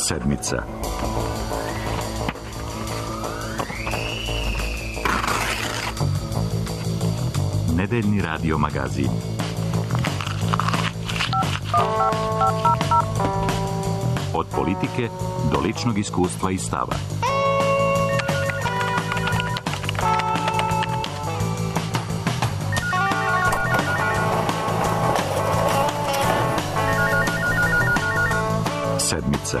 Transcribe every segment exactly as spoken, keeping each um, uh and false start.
Sedmica. Nedeljni radio magazin. Od politike do ličnog iskustva i stava. Sedmica.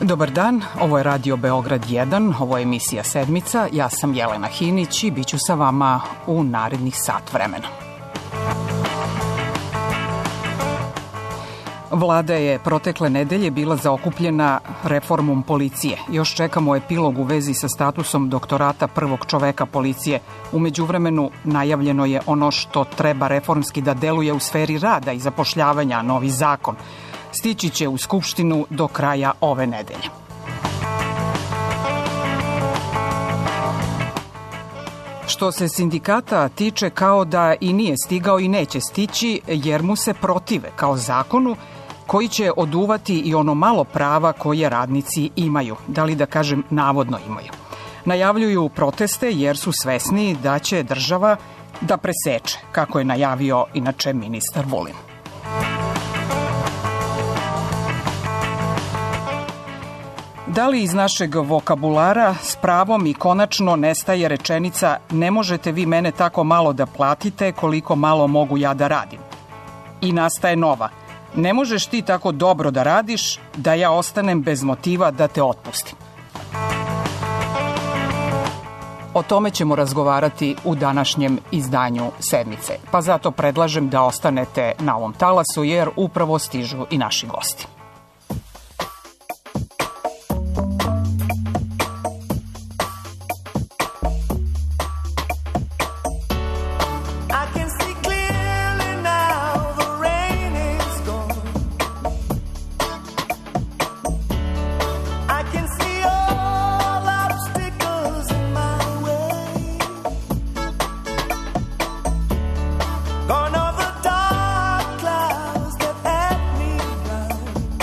Dobar dan, ovo je Radio Beograd jedan, ovo je emisija Sedmica, ja sam Jelena Hinić i bit ću sa vama u narednih sat vremena. Vlada je protekle nedelje bila zaokupljena reformom policije. Još čekamo epilog u vezi sa statusom doktorata prvog čoveka policije. U međuvremenu najavljeno je ono što treba reformski da deluje u sferi rada i zapošljavanja, novi zakon. Stići će u Skupštinu do kraja ove nedelje. Što se sindikata tiče, kao da i nije stigao i neće stići, jer mu se protive kao zakonu koji će oduvati i ono malo prava koje radnici imaju, da li da kažem navodno imaju. Najavljuju proteste jer su svesni da će država da preseče, kako je najavio inače ministar Vulin. Da li iz našeg vokabulara s pravom i konačno nestaje rečenica "ne možete vi mene tako malo da platite koliko malo mogu ja da radim"? I nastaje nova: "ne možeš ti tako dobro da radiš da ja ostanem bez motiva da te otpustim". O tome ćemo razgovarati u današnjem izdanju Sedmice, pa zato predlažem da ostanete na ovom talasu jer upravo stižu i naši gosti. Gone over dark clouds that had me blind.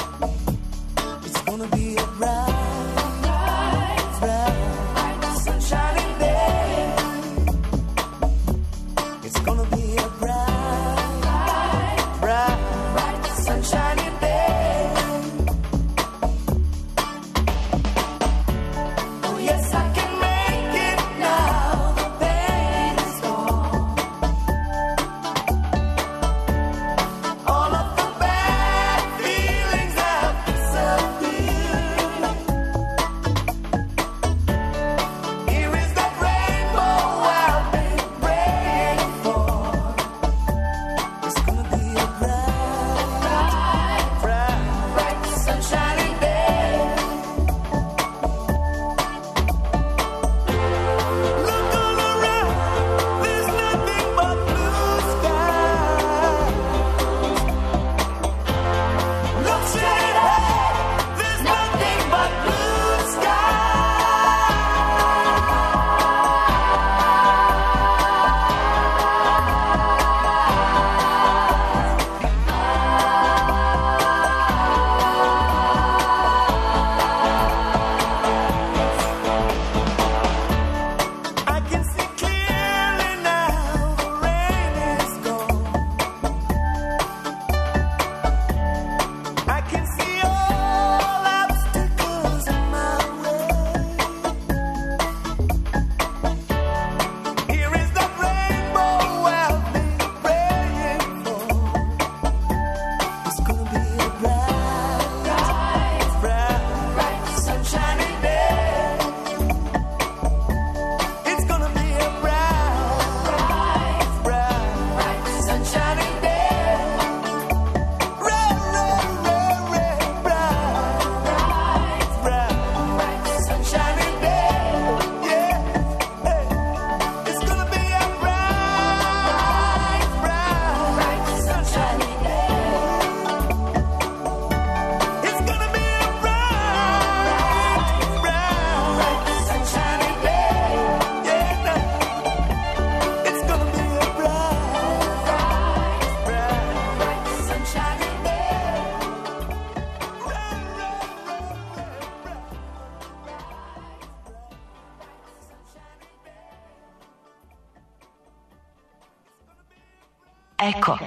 Eko.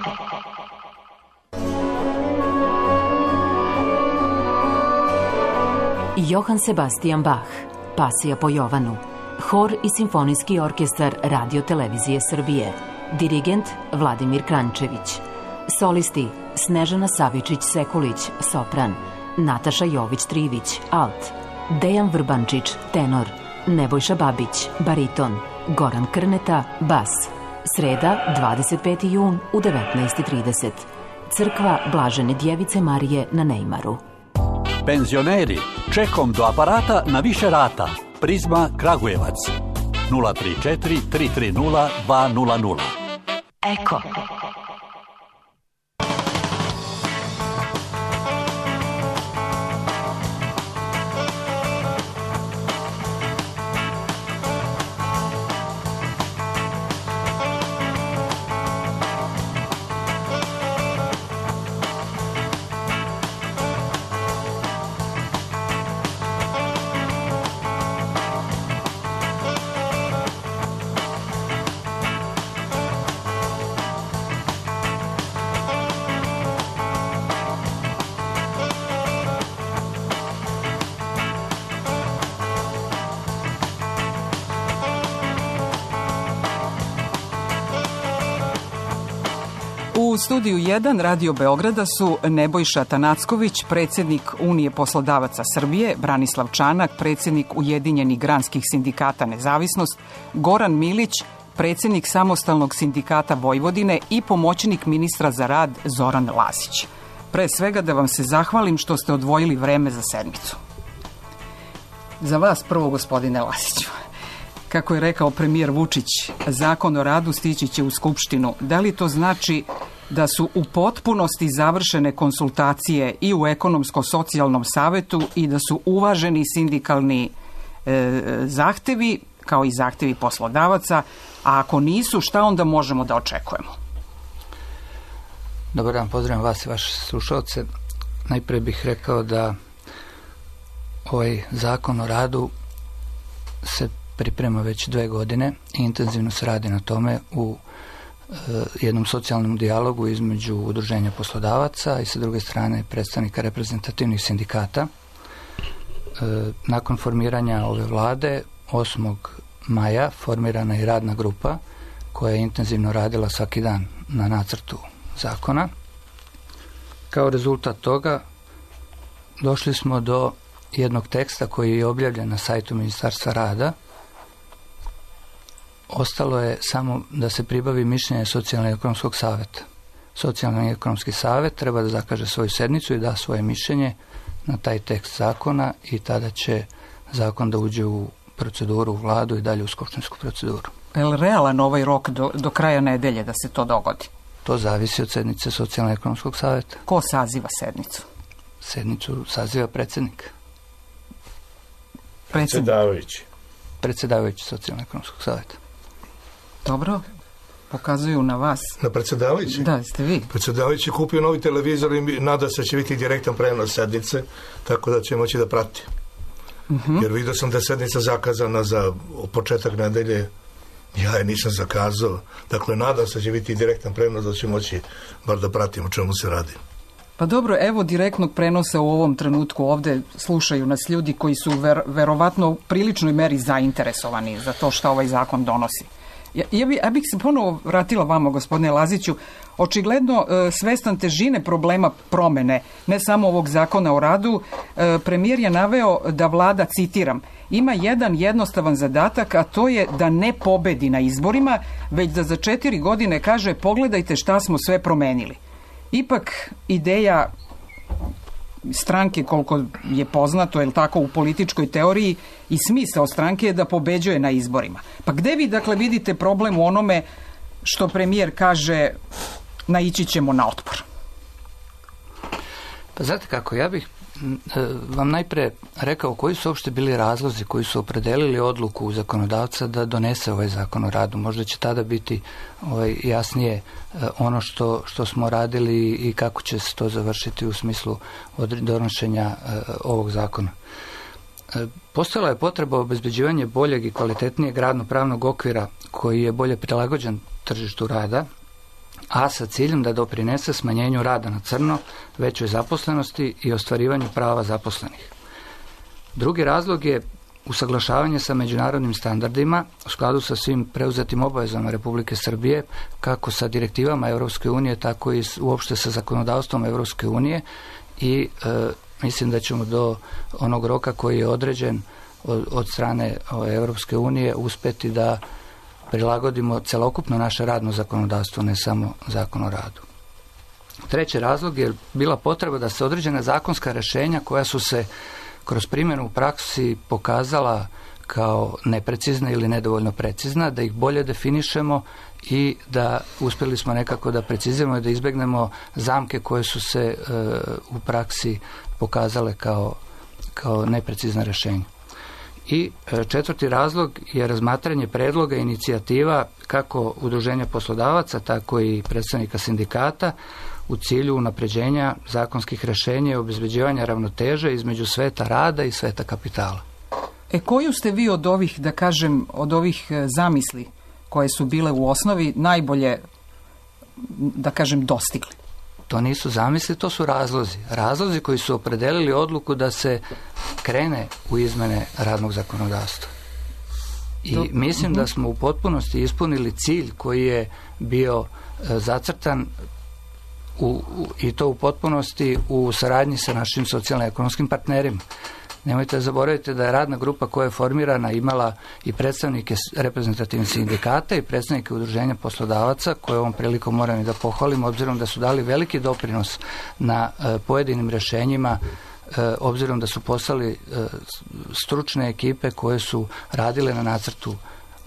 Johann Sebastian Bach, Pasija po Jovanu, hor i simfonijski orkestar Radio Televizije Srbije, dirigent Vladimir Krančević, solisti Snežana Savičić-Sekulić, sopran, Nataša Jović-Trivić, alt, Dejan Vrbančić, tenor, Nebojša Babić, bariton, Goran Krneta, bas. Sreda, dvadeset peti jun u devetnaest i trideset. Crkva Blažene Djevice Marije na Nejmaru. Penzioneri, čekom do aparata na više rata. Prizma Kragujevac. nula tri četiri tri tri nula dva nula nula. Eko. U studiju jedan Radio Beograda su Nebojša Tanacković, predsjednik Unije poslodavaca Srbije, Branislav Čanak, predsjednik Ujedinjenih granskih sindikata Nezavisnost, Goran Milić, predsjednik Samostalnog sindikata Vojvodine i pomoćnik ministra za rad Zoran Lasić. Pre svega da vam se zahvalim što ste odvojili vreme za sedmicu. Za vas prvo, gospodine Lasiću. Kako je rekao premijer Vučić, zakon o radu stići će u Skupštinu. Da li to znači da su u potpunosti završene konsultacije i u ekonomsko-socijalnom savetu i da su uvaženi sindikalni e, zahtevi, kao i zahtevi poslodavaca, a ako nisu, šta onda možemo da očekujemo? Dobar dan, pozdravljam vas i vaše slušalce. Najprije bih rekao da ovaj zakon o radu se priprema već dve godine i intenzivno se radi na tome u e, jednom socijalnom dijalogu između udruženja poslodavaca i sa druge strane predstavnika reprezentativnih sindikata. E, nakon formiranja ove vlade osmog maja formirana je radna grupa koja je intenzivno radila svaki dan na nacrtu zakona. Kao rezultat toga došli smo do jednog teksta koji je objavljen na sajtu Ministarstva rada. Ostalo je samo da se pribavi mišljenje Socijalno-ekonomskog savjeta. Socijalno-ekonomski savjet treba da zakaže svoju sednicu i da svoje mišljenje na taj tekst zakona i tada će zakon da uđe u proceduru, u vladu i dalje u skupštinsku proceduru. Je li realan ovaj rok do, do kraja nedelje da se to dogodi? To zavisi od sednice Socijalno-ekonomskog savjeta. Ko saziva sednicu? Sednicu saziva predsjednik. Predsjedavajući. Predsjedavajući Socijalno-ekonomskog savjeta. Dobro, pokazuju na vas. Na predsjedavajući? Da, ste vi. Predsjedavajući kupio novi televizor i nada se će biti direktan prenos sednice, tako da će moći da prati. Uh-huh. Jer vidio sam da je sednica zakazana za početak nedelje, ja je nisam zakazao. Dakle, nadam se će biti direktan prenos da će moći bar da pratim o čemu se radi. Pa dobro, evo direktnog prenosa u ovom trenutku ovdje slušaju nas ljudi koji su ver, verovatno u priličnoj meri zainteresovani za to što ovaj zakon donosi. Ja, ja, bi, ja bih se ponovo vratila vama, gospodine Laziću. Očigledno e, svestan težine problema promene, ne samo ovog zakona o radu, e, premijer je naveo da vlada, citiram, ima jedan jednostavan zadatak, a to je da ne pobedi na izborima, već da za četiri godine kaže pogledajte šta smo sve promenili. Ipak ideja stranke, koliko je poznato, je tako u političkoj teoriji, i smisao stranke je da pobeđuje na izborima. Pa gde vi dakle vidite problem u onome što premijer kaže naići ćemo na otpor? Pa znate kako, ja bih vam najprije rekao koji su uopšte bili razlozi koji su opredelili odluku zakonodavca da donese ovaj zakon o radu. Možda će tada biti ovaj, jasnije ono što, što smo radili i kako će se to završiti u smislu donošenja ovog zakona. Postojala je potreba obezbeđivanja boljeg i kvalitetnijeg radno-pravnog okvira koji je bolje prilagođen tržištu rada, a sa ciljem da doprinese smanjenju rada na crno, većoj zaposlenosti i ostvarivanju prava zaposlenih. Drugi razlog je usaglašavanje sa međunarodnim standardima u skladu sa svim preuzetim obavezama Republike Srbije, kako sa direktivama Europske unije, tako i uopšte sa zakonodavstvom Europske unije i e, mislim da ćemo do onog roka koji je određen od, od strane Europske unije uspeti da prilagodimo celokupno naše radno zakonodavstvo, ne samo zakon o radu. Treći razlog je bila potreba da se određena zakonska rješenja koja su se kroz primjenu u praksi pokazala kao neprecizna ili nedovoljno precizna, da ih bolje definišemo i da uspjeli smo nekako da preciziramo i da izbjegnemo zamke koje su se e, u praksi pokazale kao, kao neprecizna rješenja. I e, četvrti razlog je razmatranje predloga i inicijativa kako udruženja poslodavaca, tako i predstavnika sindikata u cilju unapređenja zakonskih rješenja i obezbeđivanja ravnoteže između sveta rada i sveta kapitala. E koju ste vi od ovih, da kažem, od ovih zamisli koje su bile u osnovi najbolje, da kažem, dostigli? To nisu zamisli, to su razlozi. Razlozi koji su opredelili odluku da se krene u izmene radnog zakonodavstva. I Do... mislim da smo u potpunosti ispunili cilj koji je bio e, zacrtan u, u, i to u potpunosti u saradnji sa našim socijalno-ekonomskim partnerima. Nemojte zaboraviti da je radna grupa koja je formirana imala i predstavnike reprezentativnih sindikata i predstavnike udruženja poslodavaca, koje ovom prilikom moram i da pohvalim, obzirom da su dali veliki doprinos na e, pojedinim rješenjima, e, obzirom da su poslali e, stručne ekipe koje su radile na nacrtu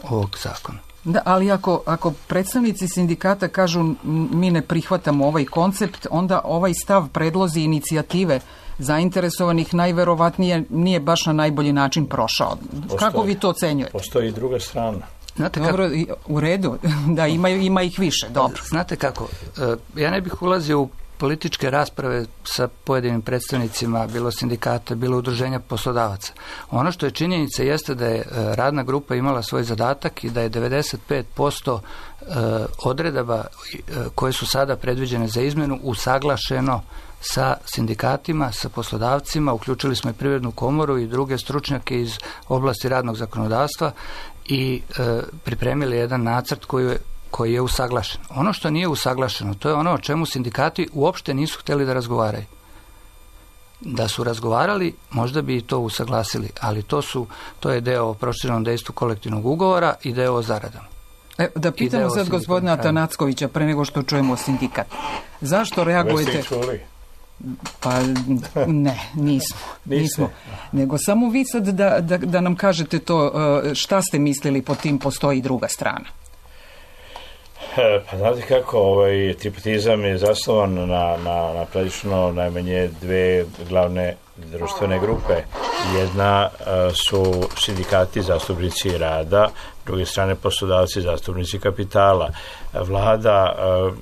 ovog zakona. Da, ali ako, ako predstavnici sindikata kažu mi ne prihvatamo ovaj koncept, onda ovaj stav, predlozi, inicijative zainteresovanih najverovatnije nije baš na najbolji način prošao. Postoji, kako vi to ocenjujete? Postoji i druga strana. Znate Dobro, kako? U redu, da ima, ima ih više, dobro. Znate kako, ja ne bih ulazio u političke rasprave sa pojedinim predstavnicima, bilo sindikata, bilo udruženja poslodavaca. Ono što je činjenica jeste da je radna grupa imala svoj zadatak i da je devedeset pet posto odredaba koje su sada predviđene za izmjenu usaglašeno sa sindikatima, sa poslodavcima, uključili smo i Privrednu komoru i druge stručnjake iz oblasti radnog zakonodavstva i e, pripremili jedan nacrt koji je, koji je usaglašen. Ono što nije usaglašeno, to je ono o čemu sindikati uopšte nisu htjeli da razgovaraju. Da su razgovarali, možda bi i to usaglasili, ali to, su, to je deo o proširenom dejstvu kolektivnog ugovora i deo o zaradama. E, da pitamo sad gospodina Atanackovića pre nego što čujemo sindikat. Zašto reagujete? Pa ne, nismo. nismo. Nego samo vi sad da, da, da nam kažete to, šta ste mislili po tim postoji i druga strana. Pa znate kako, ovaj tripatizam je zasnovan na, na, na prilično najmanje dve glavne društvene grupe. Jedna uh, su sindikati, zastupnici rada, s druge strane poslodavci, zastupnici kapitala. Vlada uh,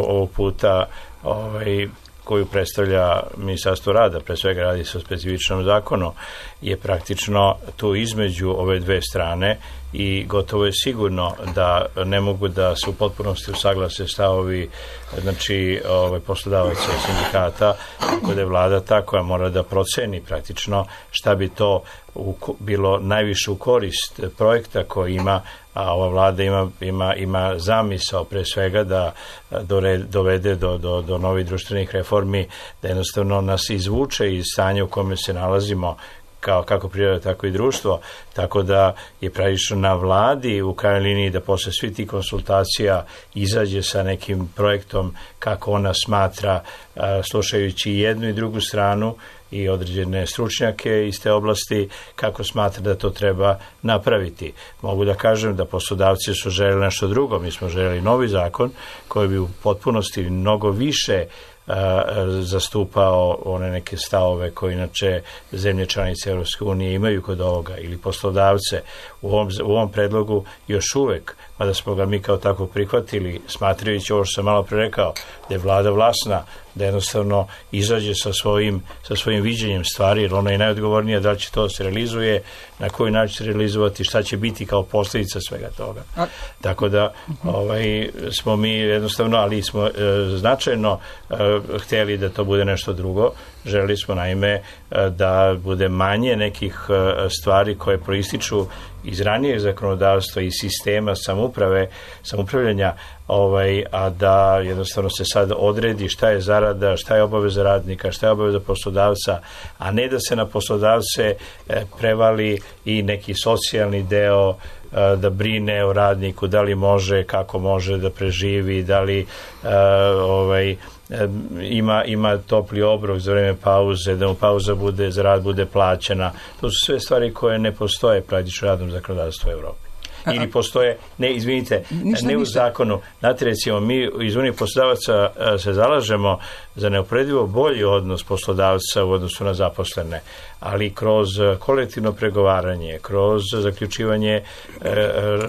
ovog puta ovaj, koju predstavlja Ministarstvo rada, pre svega radi se o specifičnom zakonu, je praktično tu između ove dve strane i gotovo je sigurno da ne mogu da se u potpunosti usaglase stavovi, znači ovaj, poslodavaca i sindikata, tako da je vlada ta koja mora da proceni praktično šta bi to u, bilo najviše u korist projekta koji ima, a ova vlada ima, ima, ima zamisao pre svega da dovede do, do, do novih društvenih reformi, da jednostavno nas izvuče iz stanja u kome se nalazimo, kao kako priroda, tako i društvo, tako da je pravično na vladi u krajnjoj liniji da posle svih tih konsultacija izađe sa nekim projektom kako ona smatra, slušajući jednu i drugu stranu i određene stručnjake iz te oblasti, kako smatra da to treba napraviti. Mogu da kažem da poslodavci su željeli nešto drugo, mi smo željeli novi zakon koji bi u potpunosti mnogo više zastupao one neke stavove koje inače zemlje članice Europske unije imaju kod ovoga ili poslodavce. U ovom, u ovom predlogu još uvek mada smo ga mi kao tako prihvatili, smatrajući ovo što sam malo pre rekao, da je vlada vlasna, da jednostavno izađe sa svojim, sa svojim viđenjem stvari, jer ona je najodgovornija da li će to se realizuje, na koji način se realizovati, šta će biti kao posljedica svega toga. A... Tako da ovaj, smo mi jednostavno, ali smo e, značajno e, htjeli da to bude nešto drugo. Želeli smo naime e, da bude manje nekih e, stvari koje proističu iz ranijeg zakonodavstva i sistema samouprave, samoupravljanja, ovaj, a da jednostavno se sad odredi šta je zarada, šta je obaveza radnika, šta je obaveza poslodavca, a ne da se na poslodavce e, prevali i neki socijalni deo, e, da brine o radniku, da li može, kako može da preživi, da li e, ovaj, ima, ima topli obrok za vreme pauze, da mu pauza bude, za rad bude plaćena. To su sve stvari koje ne postoje praktično radnom zakonodavstvu u Evropi. Ili postoje, ne, izvinite, ništa, ne u ništa. zakonu. Znate, recimo, mi iz Unije poslodavaca se zalažemo za neuporedivo bolji odnos poslodavca u odnosu na zaposlene, ali kroz kolektivno pregovaranje, kroz zaključivanje e,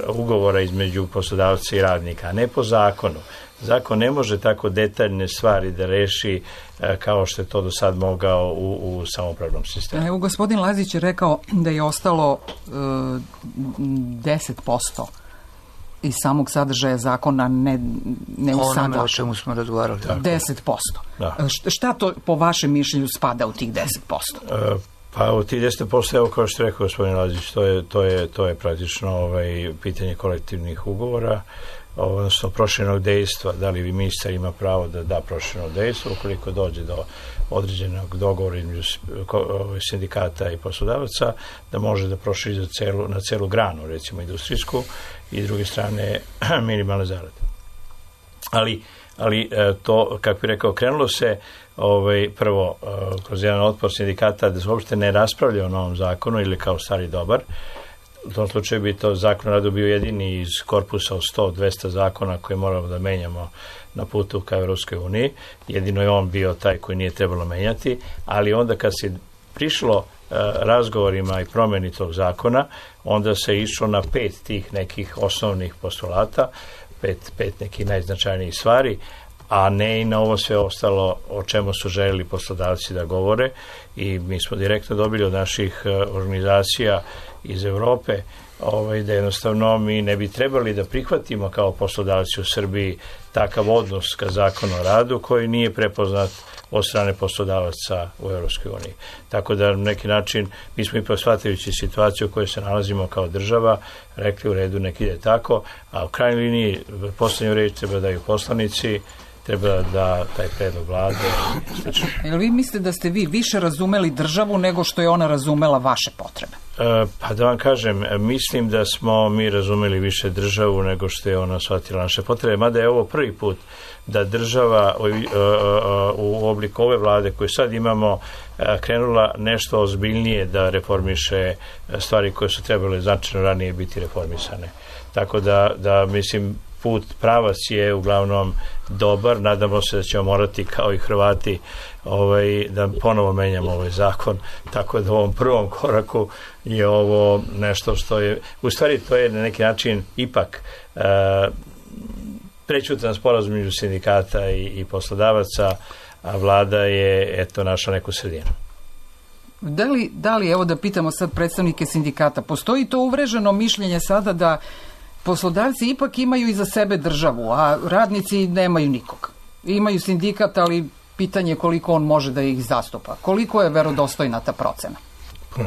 ugovora između poslodavca i radnika, a ne po zakonu. Zakon ne može tako detaljne stvari da reši e, kao što je to do sad mogao u, u samoupravnom sistemu. Evo, gospodin Lazić je rekao da je ostalo e, deset posto iz samog sadržaja zakona ne, ne usaglašeno. Ono o čemu smo razgovarali. deset posto. Da. Šta to po vašem mišljenju spada u tih deset posto? E, pa u tih deset posto, evo kao što je rekao gospodin Lazić, to je, to je, to je praktično ovaj, pitanje kolektivnih ugovora, odnosno proširenog dejstva, da li ministar ima pravo da da prošireno dejstvo, ukoliko dođe do određenog dogovora između sindikata i poslodavaca, da može da proširi za celu, na celu granu, recimo industrijsku, i s druge strane minimalne zarade. Ali, ali to, kako bi rekao, krenulo se ovaj, prvo kroz jedan otpor sindikata da se uopšte ne raspravlja o novom zakonu ili kao stari dobar. U tom slučaju bi to zakon o radu bio jedini iz korpusa od sto do dvesta zakona koje moramo da menjamo na putu ka Evropskoj uniji. Jedino je on bio taj koji nije trebalo menjati, ali onda kad se prišlo e, razgovorima i promjeni tog zakona, onda se išlo na pet tih nekih osnovnih postulata, pet, pet nekih najznačajnijih stvari, a ne i na ovo sve ostalo o čemu su željeli poslodavci da govore, i mi smo direktno dobili od naših e, organizacija iz Evrope ovaj, da jednostavno mi ne bi trebali da prihvatimo kao poslodavci u Srbiji takav odnos ka zakonu o radu koji nije prepoznat od strane poslodavaca u Evropskoj uniji. Tako da na neki način mi smo ipak shvatajući situaciju u kojoj se nalazimo kao država rekli u redu nek ide tako, a u krajnjoj liniji poslednju reč treba daju poslanici, treba da taj predlog vlade. Jel vi mislite da ste vi više razumeli državu nego što je ona razumela vaše potrebe? E, pa da vam kažem, mislim da smo mi razumeli više državu nego što je ona shvatila naše potrebe, mada je ovo prvi put da država u, u obliku ove vlade koju sad imamo krenula nešto ozbiljnije da reformiše stvari koje su trebale značajno ranije biti reformisane. Tako da, da mislim, put, pravac je uglavnom dobar, nadamo se da ćemo morati kao i Hrvati ovaj, da ponovo menjamo ovaj zakon, tako da u ovom prvom koraku je ovo nešto što je, u stvari to je na neki način ipak e, prećutan sporazum među sindikata i, i poslodavaca, a vlada je eto našla neku sredinu. Da li, da li, evo da pitamo sad predstavnike sindikata, postoji to uvreženo mišljenje sada da poslodavci ipak imaju iza sebe državu, a radnici nemaju nikog. Imaju sindikat, ali pitanje koliko on može da ih zastupa. Koliko je verodostojna ta procena?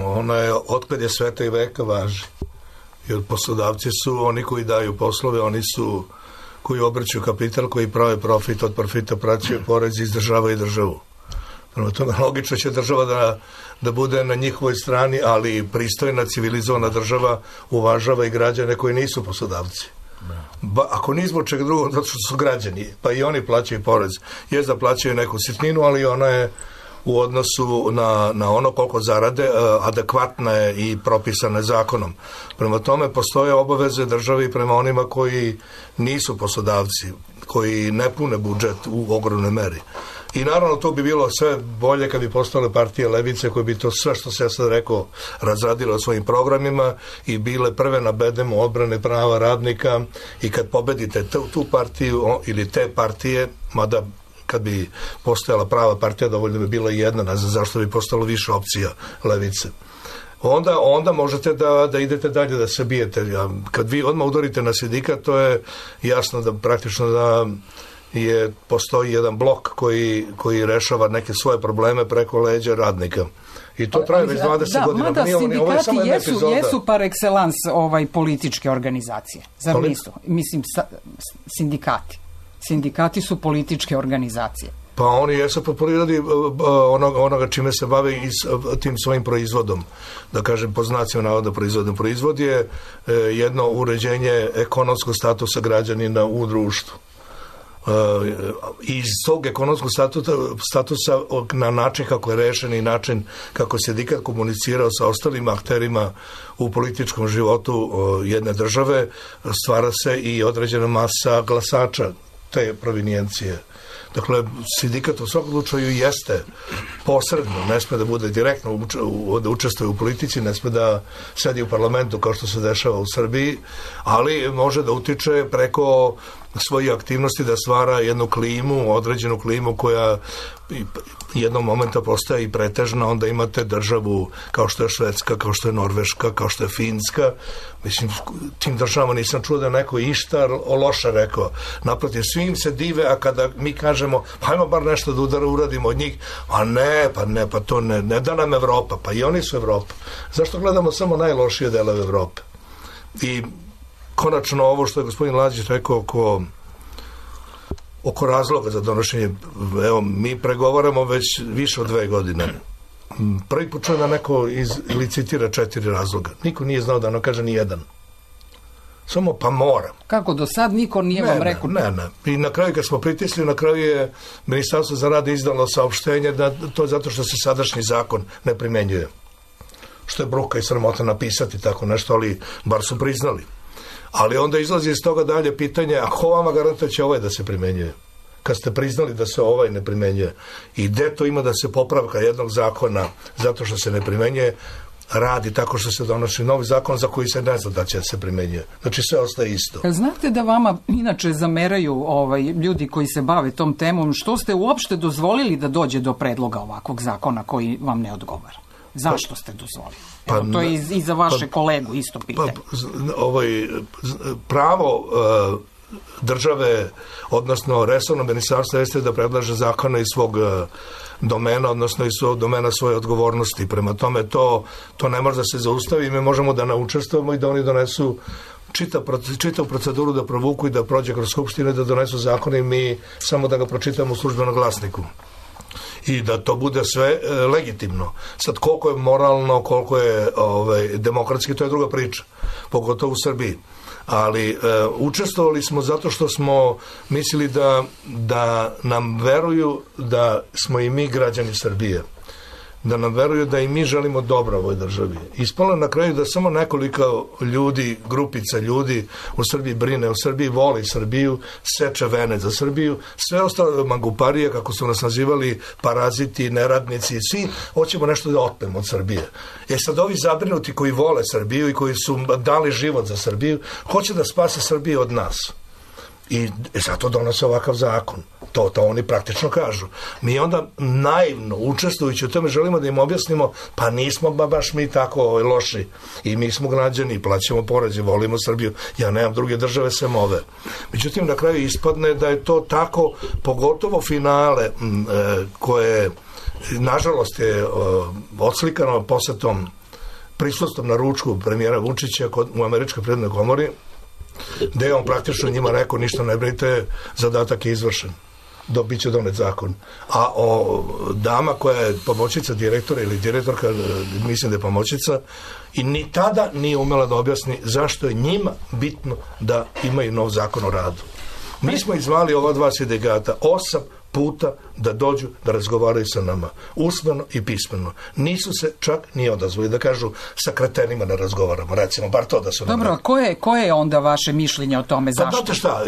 Ona je, otkad je sveta i veka važi. Jer poslodavci su oni koji daju poslove, oni su koji obrću kapital, koji prave profit, od profita praćaju porez, izdržavaju državu. Prema tome, logično će država da, da bude na njihovoj strani, ali pristojna, civilizovana država uvažava i građane koji nisu poslodavci. Ba, ako ni zbog čega drugog, zato što su građani, pa i oni plaćaju porez. Je da plaćaju neku sitninu, ali ona je u odnosu na, na ono koliko zarade adekvatna je i propisana zakonom. Prema tome, postoje obaveze državi prema onima koji nisu poslodavci, koji ne pune budžet u ogromnoj meri. I naravno to bi bilo sve bolje kad bi postale partije levice koje bi to sve što se ja sad rekao razradile o svojim programima i bile prve na bedemu odbrane prava radnika i kad pobedite tu, tu partiju ili te partije, mada kad bi postojala prava partija dovoljno bi bila jedna, ne znam zašto bi postalo više opcija levice. Onda, onda možete da, da idete dalje, da se bijete. Kad vi odmah udarite na sindikat, to je jasno da praktično da je, postoji jedan blok koji, koji rešava neke svoje probleme preko leđa radnika. I to traje već dvadeset da, godina. Mada Nije, sindikati ovo je jesu, jesu par excellence ovaj, političke organizacije. Zar Ali? nisu? Mislim, sa, sindikati. Sindikati su političke organizacije. Pa oni jesu po prirodi onoga, onoga čime se bave i tim svojim proizvodom. Da kažem, po znacima navoda proizvodom. Proizvod je jedno uređenje ekonomskog statusa građanina u društvu. Iz tog ekonomskog statusa, statusa na način kako je rešen i način kako se sindikat komunicirao sa ostalim akterima u političkom životu jedne države, stvara se i određena masa glasača te provinijencije. Dakle, sindikat u svakom slučaju jeste posredno, ne sme da bude direktno da učestvuje u politici, ne sme da sedi u parlamentu kao što se dešava u Srbiji, ali može da utiče preko svojih aktivnosti da stvara jednu klimu, određenu klimu koja jednog momenta postaje i pretežna, onda imate državu kao što je Švedska, kao što je Norveška, kao što je Finska. Mislim, tim državama nisam čuo da je neko išta loše rekao. Naprotiv, svim se dive, a kada mi kažemo, pa ajmo bar nešto da udara, uradimo od njih, a ne, pa ne, pa to ne, ne da nam Evropa, pa i oni su Evropa. Zašto gledamo samo najlošije delove Evrope? I konačno ovo što je gospodin Lađić rekao oko oko razloga za donošenje, evo, mi pregovaramo već više od dve godine. Prvi put čujem da neko izlicitira četiri razloga. Niko nije znao da ono kaže ni jedan. Samo pa mora. Kako do sad niko nije ne, vam rekao? Ne, ne. I na kraju kad smo pritisli, na kraju je Ministarstvo za rad izdalo saopštenje da to je zato što se sadašnji zakon ne primenjuje. Što je bruka i sramota napisati tako nešto, ali bar su priznali. Ali onda izlazi iz toga dalje pitanje, a ko vama garantuje će ovaj da se primenjuje? Kad ste priznali da se ovaj ne primenjuje. I gde to ima da se popravka jednog zakona zato što se ne primenjuje, radi tako što se donosi novi zakon za koji se ne zna da će se primenjuje. Znači sve ostaje isto. Znate da vama inače zameraju ovaj, ljudi koji se bave tom temom, što ste uopšte dozvolili da dođe do predloga ovakvog zakona koji vam ne odgovara? Zašto ste dozvolili? Pa, Evo, to je i, i za vaše pa, kolegu isto pitanje. Pa, ovaj, pravo uh, države, odnosno resorno ministarstvo jeste da predlaže zakone iz svog uh, domena, odnosno iz svog domena svoje odgovornosti. Prema tome to, to ne može da se zaustavi, mi možemo da naučestvujemo i da oni donesu čitav, čitav proceduru da provuku i da prođe kroz skupštine, da donesu zakone i mi samo da ga pročitamo u službenom glasniku. I da to bude sve e, legitimno. Sad, koliko je moralno, koliko je ovaj, demokratski, to je druga priča, pogotovo u Srbiji. Ali e, učestvovali smo zato što smo mislili da, da nam veruju da smo i mi građani Srbije. Da nam veruju da i mi želimo dobro ovoj državi. Ispalo na kraju da samo nekoliko ljudi, grupica ljudi u Srbiji brine, u Srbiji voli Srbiju, seče vene za Srbiju, sve ostalo manguparije, kako su nas nazivali paraziti, neradnici, svi hoćemo nešto da otmemo od Srbije. E sad ovi zabrinuti koji vole Srbiju i koji su dali život za Srbiju, hoće da spase Srbiju od nas. I zato donose ovakav zakon. To, to oni praktično kažu. Mi onda naivno, učestvujući u tome, želimo da im objasnimo, pa nismo ba baš mi tako loši. I mi smo građani, plaćamo poreze, volimo Srbiju. Ja nemam druge države sem ove. Međutim, na kraju ispadne da je to tako, pogotovo finale, m, e, koje, nažalost, je e, odslikano posetom, prisustvom na ručku premijera Vučića kod, u Američkoj privrednoj komori, gde je on praktično njima rekao, ništa ne brinite, zadatak je izvršen. Do, bit će donet zakon. A o, dama koja je pomoćnica direktora ili direktorka, mislim da je pomoćnica, i ni tada nije umela da objasni zašto je njima bitno da imaju nov zakon o radu. Mi smo izvali ova dva sindikata osam puta da dođu da razgovaraju sa nama, usmeno i pismeno. Nisu se čak ni odazvali da kažu sa kretenima ne razgovaramo, recimo, bar to da su nam... Dobro, a koje, koje je onda vaše mišljenje o tome? Zašto? Pa znate šta,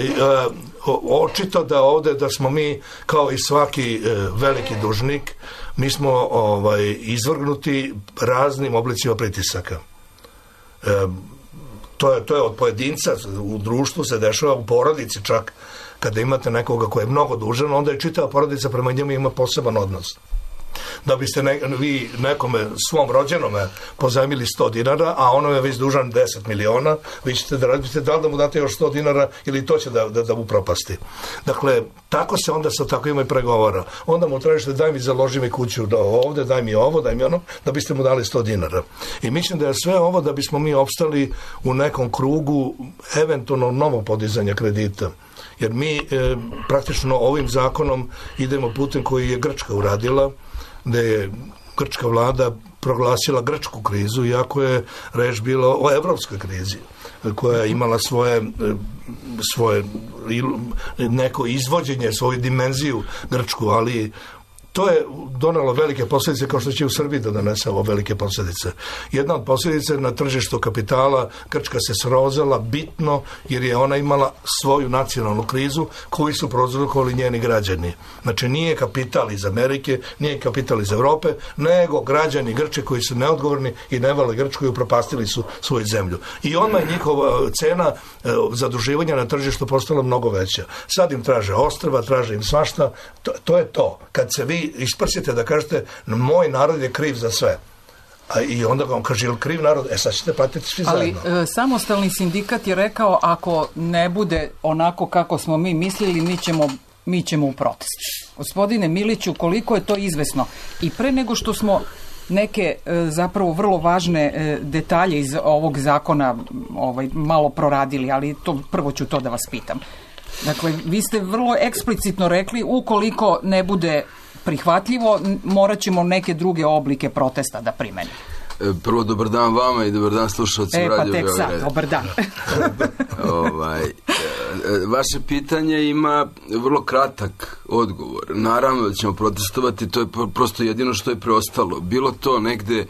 očito da ovde da smo mi, kao i svaki veliki dužnik, mi smo ovaj, izvrgnuti raznim oblicima pritisaka. E, to, je, to je od pojedinca, u društvu se dešava, u porodici čak, kada imate nekoga ko je mnogo dužan, onda je čitava porodica prema njemu ima poseban odnos. Da biste ne, vi nekome svom rođenome pozajmili sto dinara, a ono je već dužan deset miliona, vi ćete da radite da li da mu date još sto dinara ili to će da, da, da mu propasti. Dakle, tako se onda sa takvima i pregovara. Onda mu tražite daj mi založi mi kuću ovde, daj mi ovo, daj mi ono, da biste mu dali sto dinara. I mislim da je sve ovo da bismo mi opstali u nekom krugu eventualno novog podizanja kredita. Jer mi e, praktično ovim zakonom idemo putem koji je Grčka uradila, da je grčka vlada proglasila grčku krizu, iako je reč bilo o evropskoj krizi, koja je imala svoje, svoje neko izvođenje, svoju dimenziju grčku, ali to je donelo velike posljedice, kao što će u Srbiji da donese ovo velike posljedice. Jedna od posljedica na tržištu kapitala, Grčka se srozala bitno, jer je ona imala svoju nacionalnu krizu koju su prouzrokovali njeni građani. Znači, nije kapital iz Amerike, nije kapital iz Evrope, nego građani Grče koji su neodgovorni i ne vole Grčku i upropastili su svoju zemlju. I odmah je njihova cena zaduživanja na tržištu postala mnogo veća. Sad im traže ostrva, traže im svašta. To, to je to. Kad se vi isprsite da kažete moj narod je kriv za sve. A i onda vam kaže, je li kriv narod? E sad ćete platiti svi zajedno. Ali e, samostalni sindikat je rekao, ako ne bude onako kako smo mi mislili, mi ćemo, mi ćemo u protest. Gospodine Miliću, koliko je to izvesno? I pre nego što smo neke e, zapravo vrlo važne e, detalje iz ovog zakona ovaj, malo proradili, ali to, prvo ću to da vas pitam. Dakle, vi ste vrlo eksplicitno rekli, ukoliko ne bude prihvatljivo, morat ćemo neke druge oblike protesta da primenimo. Prvo, dobar dan vama i dobar dan slušalcima e, Radio Beograd. E, pa tek sad, dobar dan. ovaj, vaše pitanje ima vrlo kratak odgovor. Naravno da ćemo protestovati, to je prosto jedino što je preostalo. Bilo to negde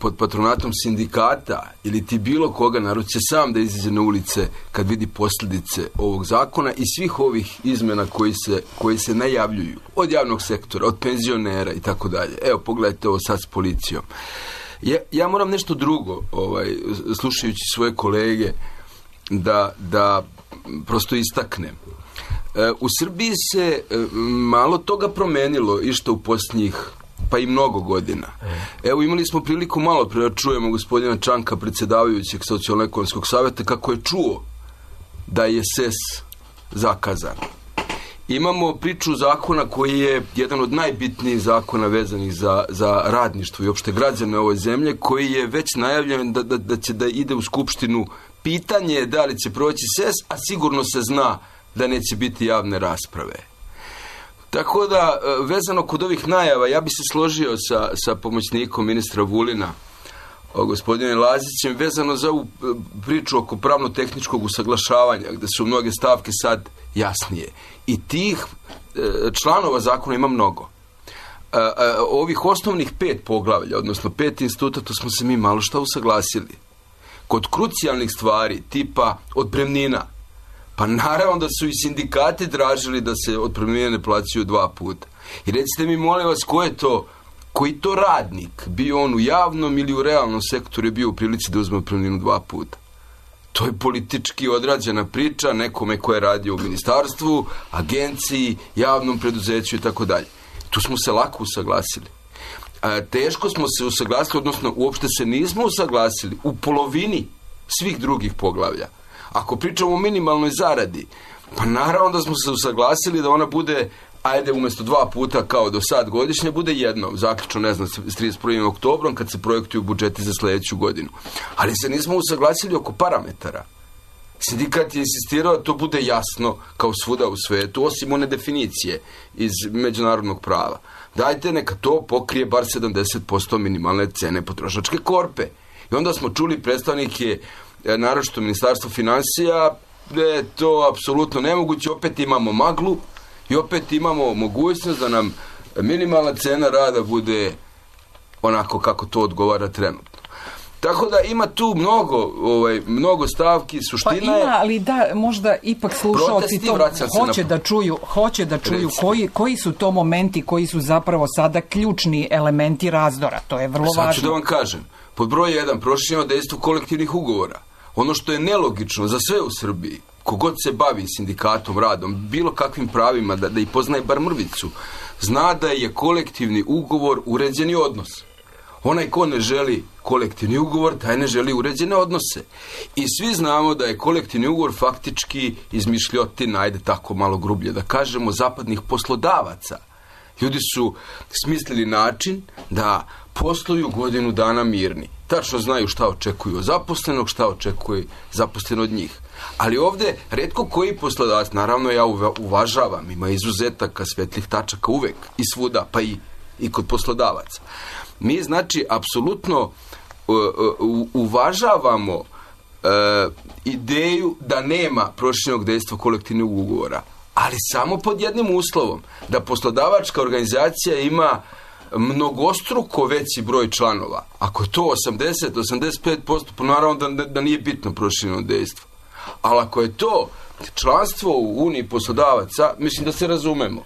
pod patronatom sindikata ili ti bilo koga, narod će sam da izađe na ulice kad vidi posljedice ovog zakona i svih ovih izmena koji se, koji se najavljuju od javnog sektora, od penzionera i tako dalje. Evo, pogledajte ovo sad s policijom. Ja, ja moram nešto drugo, ovaj, slušajući svoje kolege, da, da prosto istaknem. E, u Srbiji se e, malo toga promenilo i što u posljednjih pa i mnogo godina. Evo, imali smo priliku malo pre da čujemo gospodina Čanka, predsjedavajućeg Socijalno-ekonomskog savjeta, kako je čuo da je S E S zakazan. Imamo priču zakona koji je jedan od najbitnijih zakona vezanih za, za radništvo i opšte građane ove zemlje, koji je već najavljen da, da, da će da ide u Skupštinu. Pitanje je da li će proći S E S, a sigurno se zna da neće biti javne rasprave. Tako da, vezano kod ovih najava, ja bi se složio sa, sa pomoćnikom ministra Vulina, gospodine Lazićem, vezano za ovu priču oko pravno-tehničkog usaglašavanja, gde su mnoge stavke sad jasnije. I tih članova zakona ima mnogo. Ovih osnovnih pet poglavlja, odnosno pet instituta, to smo se mi malo šta usaglasili. Kod krucijalnih stvari, tipa otpremnina, pa naravno da su i sindikati tražili da se otpremnine ne plaćaju dva puta. I recite mi, molim vas, ko je to, koji to radnik, bio on u javnom ili u realnom sektoru, je bio u prilici da uzme otpremninu dva puta? To je politički odrađena priča nekome ko je radio u ministarstvu, agenciji, javnom preduzeću i tako dalje. Tu smo se lako usaglasili. A, teško smo se usaglasili, odnosno uopšte se nismo usaglasili u polovini svih drugih poglavlja. Ako pričamo o minimalnoj zaradi, pa naravno da smo se usaglasili da ona bude, ajde, umjesto dva puta kao do sad godišnje, bude jedno, zaključno, ne znam, s trideset prvim oktobrom kad se projektuju budžeti za sljedeću godinu. Ali se nismo usaglasili oko parametara. Sindikat je insistirao da to bude jasno kao svuda u svetu, osim one definicije iz međunarodnog prava. Dajte, neka to pokrije bar sedamdeset posto minimalne cene potrošačke korpe. I onda smo čuli predstavnike, naročito Ministarstvo finansija, da je to apsolutno nemoguće, opet imamo maglu I opet imamo mogućnost da nam minimalna cena rada bude onako kako to odgovara trenutno. Tako da ima tu mnogo, ovaj, mnogo stavki, suština je... Pa ima, ali da, možda ipak slušalci to hoće na... da čuju, hoće da čuju koji, koji su to momenti koji su zapravo sada ključni elementi razdora. To je vrlo Sad važno. ću da vam kažem. Pod broj jedan, prošireno dejstvo kolektivnih ugovora. Ono što je nelogično za sve u Srbiji, kogod se bavi sindikatom, radom, bilo kakvim pravima, da, da i poznaje bar mrvicu, zna da je kolektivni ugovor uređeni odnos. Onaj ko ne želi kolektivni ugovor, taj ne želi uređene odnose. I svi znamo da je kolektivni ugovor faktički izmišljotina, ajde tako malo grublje da kažemo, zapadnih poslodavaca. Ljudi su smislili način da posluju godinu dana mirni. Tačno znaju šta očekuju od zaposlenog, šta očekuje zaposlen od njih. Ali ovdje retko koji poslodavac, naravno ja uvažavam, ima izuzetaka, svetlih tačaka uvek i svuda, pa i, i kod poslodavaca. Mi, znači, apsolutno uh, uh, uvažavamo uh, ideju da nema proširenog dejstva kolektivnog ugovora, ali samo pod jednim uslovom, da poslodavačka organizacija ima mnogostruko veći broj članova. Ako je to osamdeset do osamdeset pet posto, pa naravno da, da nije bitno prošireno dejstvo. Ali ako je to članstvo u Uniji poslodavaca, mislim da se razumemo.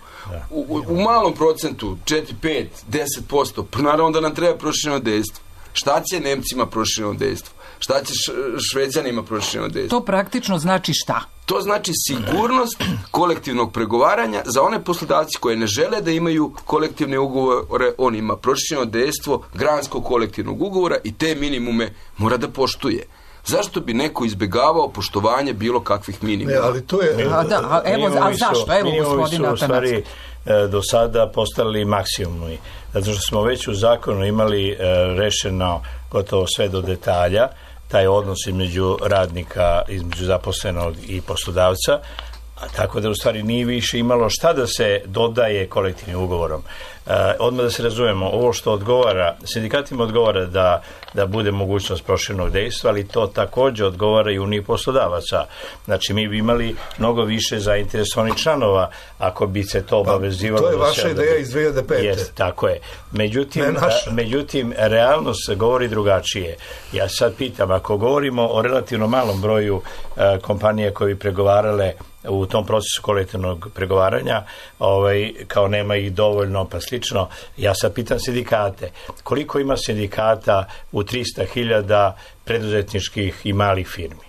U, u malom procentu, četiri, pet, deset posto, pa naravno da nam treba prošireno dejstvo. Šta će Nemcima prošireno dejstvo? Šta će Šveđanima prošireno dejstvo? To praktično znači šta? To znači sigurnost kolektivnog pregovaranja za one poslodavci koje ne žele da imaju kolektivne ugovore, on ima prošireno dejstvo granskog kolektivnog ugovora i te minimume mora da poštuje. Zašto bi neko izbjegavao poštovanje bilo kakvih minimuma? Ne, ali to je... A, da, a, evo, a zašto? Evo, gospodina u stvari do sada postali maksimumi. Zato što smo već u zakonu imali e, rešeno gotovo sve do detalja, taj odnos između radnika, između zaposlenog i poslodavca, a tako da u stvari nije više imalo šta da se dodaje kolektivnim ugovorom. E, odmah da se razumemo, ovo što odgovara, sindikatima odgovara da, da bude mogućnost proširenog dejstva, ali to također odgovara i Uniji poslodavaca. Znači, mi bi imali mnogo više zainteresovanih članova ako bi se to obavezivalo. Pa, to je vaša ideja iz dve hiljade pete. Jest, tako je. Međutim, međutim, realnost govori drugačije. Ja sad pitam, ako govorimo o relativno malom broju a, kompanija koje bi pregovarale u tom procesu kolektivnog pregovaranja, ovaj, kao nema ih dovoljno, pa slično. Ja sad pitam sindikate, koliko ima sindikata u trista hiljada preduzetničkih i malih firmi?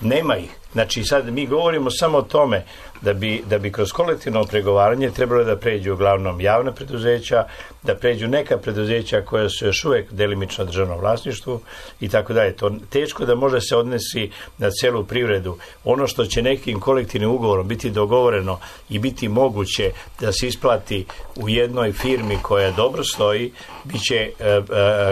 Nema ih. Znači, sad mi govorimo samo o tome da bi, da bi kroz kolektivno pregovaranje trebalo da pređu uglavnom javna preduzeća, da pređu neka preduzeća koja su još uvijek delimično državnom vlasništvu i tako dalje. To teško da može se odnesi na celu privredu. Ono što će nekim kolektivnim ugovorom biti dogovoreno i biti moguće da se isplati u jednoj firmi koja dobro stoji, bit će e, e,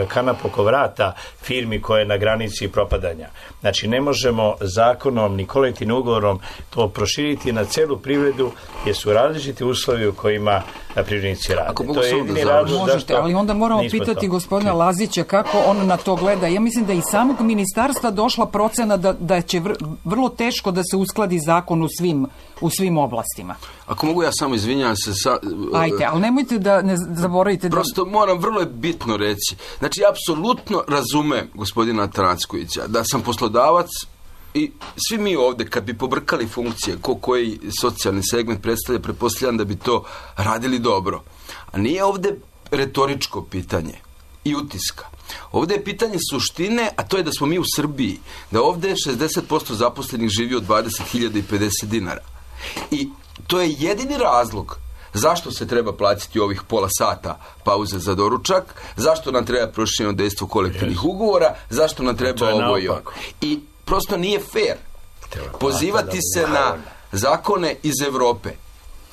kanap oko vrata firmi koja je na granici propadanja. Znači, ne možemo zakonom ni kolektivnim ugovorom to proširiti na celu privredu, jer su različiti uslovi u kojima privrednici rade. To je jedini razlog. Možete, ali onda moramo pitati to. gospodina Lazića kako on na to gleda. Ja mislim da i samog ministarstva došla procena da, da će vr, vrlo teško da se uskladi zakon u svim, u svim oblastima. Ako mogu ja samo izvinjam se sa... Ajde, ali nemojte da ne zaboravite da... Prosto moram vrlo je bitno reći. Znači, ja apsolutno razumem gospodina Transkovića da sam poslodavac i svi mi ovdje, kad bi pobrkali funkcije, ko koji socijalni segment predstavlja, pretpostavljam da bi to radili dobro. A nije ovdje retoričko pitanje i utiska. Ovdje je pitanje suštine, a to je da smo mi u Srbiji, da ovdje šezdeset posto zaposlenih živi od dvadeset hiljada pedeset dinara. I to je jedini razlog zašto se treba platiti ovih pola sata pauze za doručak, zašto nam treba prošireno dejstvo kolektivnih ugovora, zašto nam treba ovo i ono. I prosto nije fair pozivati se na zakone iz Europe.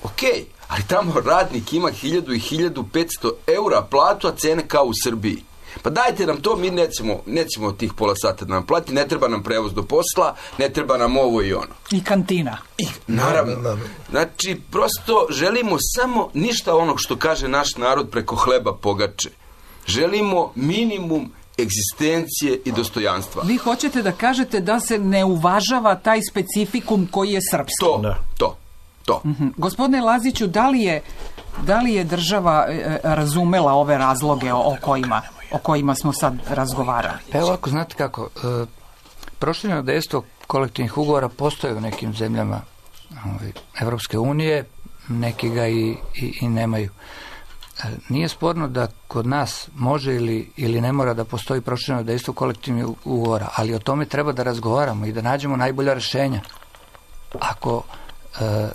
Ok, ali tamo radnik ima hiljadu i hiljadu petsto eura platu, a cene kao u Srbiji. Pa dajte nam to, mi nećemo, nećemo tih pola sata da nam plati, ne treba nam prevoz do posla, ne treba nam ovo i ono. I kantina. I, naravno. Znači, prosto želimo samo ništa onog što kaže naš narod preko hleba pogače. Želimo minimum egzistencije i dostojanstva. Vi hoćete da kažete da se ne uvažava taj specifikum koji je srpski. To, to. to. Mm-hmm. Gospodine Laziću, da li je, da li je država e, razumela ove razloge o, o, kojima, o kojima smo sad razgovarali? Pa ovako, znate kako, e, prošireno dejstvo kolektivnih ugovora postoje u nekim zemljama ovaj, Evropske unije, neki ga i, i, i nemaju. E, nije sporno da kod nas može ili, ili ne mora da postoji prošireno dejstvo kolektivnih ugovora, ali o tome treba da razgovaramo i da nađemo najbolja rješenja. Ako e,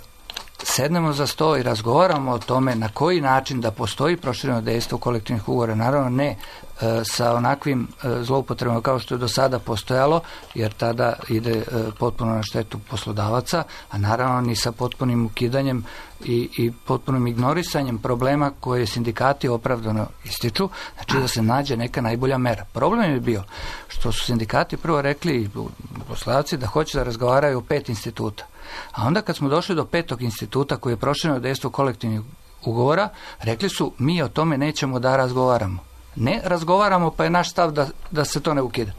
sednemo za sto i razgovaramo o tome na koji način da postoji prošireno dejstvo kolektivnih ugovora, naravno ne e, sa onakvim e, zloupotrebama kao što je do sada postojalo, jer tada ide e, potpuno na štetu poslodavaca, a naravno ni sa potpunim ukidanjem i, i potpunim ignorisanjem problema koje sindikati opravdano ističu, znači da se nađe neka najbolja mera. Problem je bio što su sindikati prvo rekli i poslodavci da hoće da razgovaraju o pet instituta. A onda kad smo došli do petog instituta koji je prošireno dejstvo kolektivnih ugovora, rekli su mi o tome nećemo da razgovaramo. Ne razgovaramo pa je naš stav da, da se to ne ukida,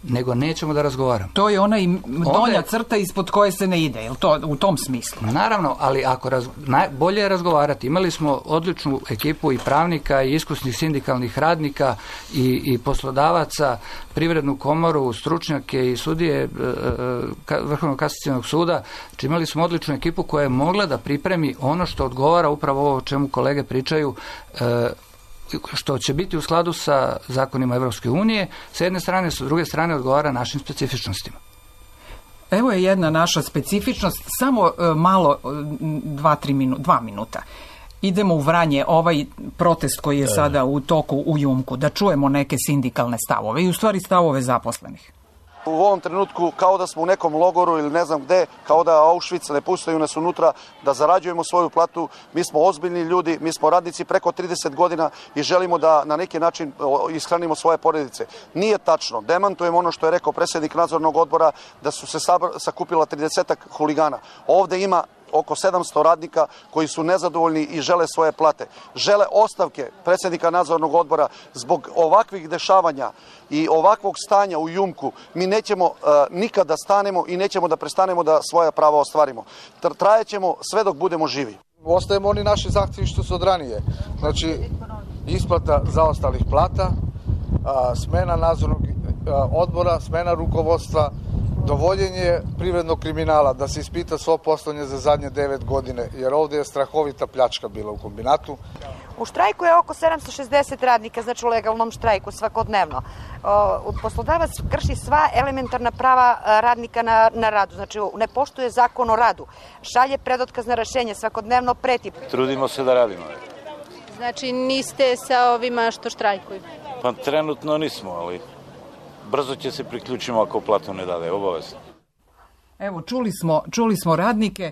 nego nećemo da razgovaramo. To je ona i donja crta ispod koje se ne ide, je li to u tom smislu? Naravno, ali ako raz, naj, bolje je razgovarati. Imali smo odličnu ekipu i pravnika i iskusnih sindikalnih radnika i, i poslodavaca, privrednu komoru, stručnjake i sudije e, e, Vrhovnog kasacionog suda. Znači, imali smo odličnu ekipu koja je mogla da pripremi ono što odgovara upravo ovo o čemu kolege pričaju, e, što će biti u skladu sa zakonima Evropske unije, sa jedne strane, sa druge strane odgovara našim specifičnostima. Evo je jedna naša specifičnost, samo e, malo, dva, tri minu, dva minuta. Idemo u Vranje, ovaj protest koji je sada u toku u Jumku, da čujemo neke sindikalne stavove i u stvari stavove zaposlenih. U ovom trenutku kao da smo u nekom logoru ili ne znam gde, kao da Auschwitz ne puštaju nas unutra, da zarađujemo svoju platu. Mi smo ozbiljni ljudi, mi smo radnici preko trideset godina i želimo da na neki način ishranimo svoje porodice. Nije tačno, demantujemo ono što je rekao predsjednik nadzornog odbora da su se sakupila tridesetak huligana. Ovde ima oko sedamsto radnika koji su nezadovoljni i žele svoje plate. Žele ostavke predsjednika nadzornog odbora zbog ovakvih dešavanja i ovakvog stanja u Jumku. Mi nećemo uh, nikada stanemo i nećemo da prestanemo da svoja prava ostvarimo. Trajećemo sve dok budemo živi. Ostajemo oni naši zahtjevi što su od ranije. Znači, isplata zaostalih plata, a, smena nadzornog a, odbora, smena rukovodstva, dovoljenje privrednog kriminala, da se ispita svo poslovanje za zadnje devet godine, jer ovdje je strahovita pljačka bila u kombinatu. U štrajku je oko sedamsto šezdeset radnika, znači u legalnom štrajku svakodnevno. Poslodavac krši sva elementarna prava radnika na, na radu, znači ne poštuje zakon o radu, šalje predotkazna rešenja, svakodnevno preti. Trudimo se da radimo. Znači niste sa ovima što štrajkuju? Pa trenutno nismo, ali brzo će se priključimo ako platu ne dade, obavezno. Evo, čuli smo, čuli smo radnike.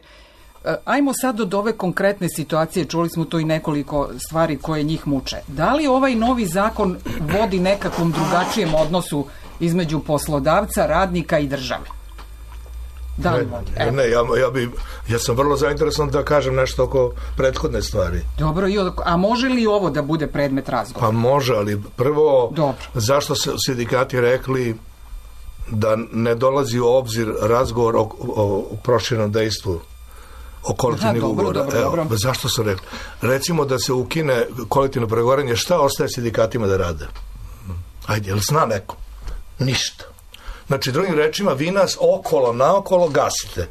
Ajmo sad od ove konkretne situacije, čuli smo tu i nekoliko stvari koje njih muče. Da li ovaj novi zakon vodi nekakvom drugačijem odnosu između poslodavca, radnika i države? Da li vodi? Ne, ne ja, ja, bi, ja sam vrlo zainteresovan da kažem nešto oko prethodne stvari. Dobro, a može li ovo da bude predmet razgovora? Pa može, ali prvo, dobro, zašto su sindikati rekli da ne dolazi u obzir razgovor o, o, o proširenom dejstvu o kolektivnih ugovora. Evo, zašto su rekli? Recimo da se ukine kolektivno pregovaranje, šta ostaje sindikatima da rade? Ajde, jel zna neko? Ništa. Znači, drugim rečima, vi nas okolo, naokolo gasite.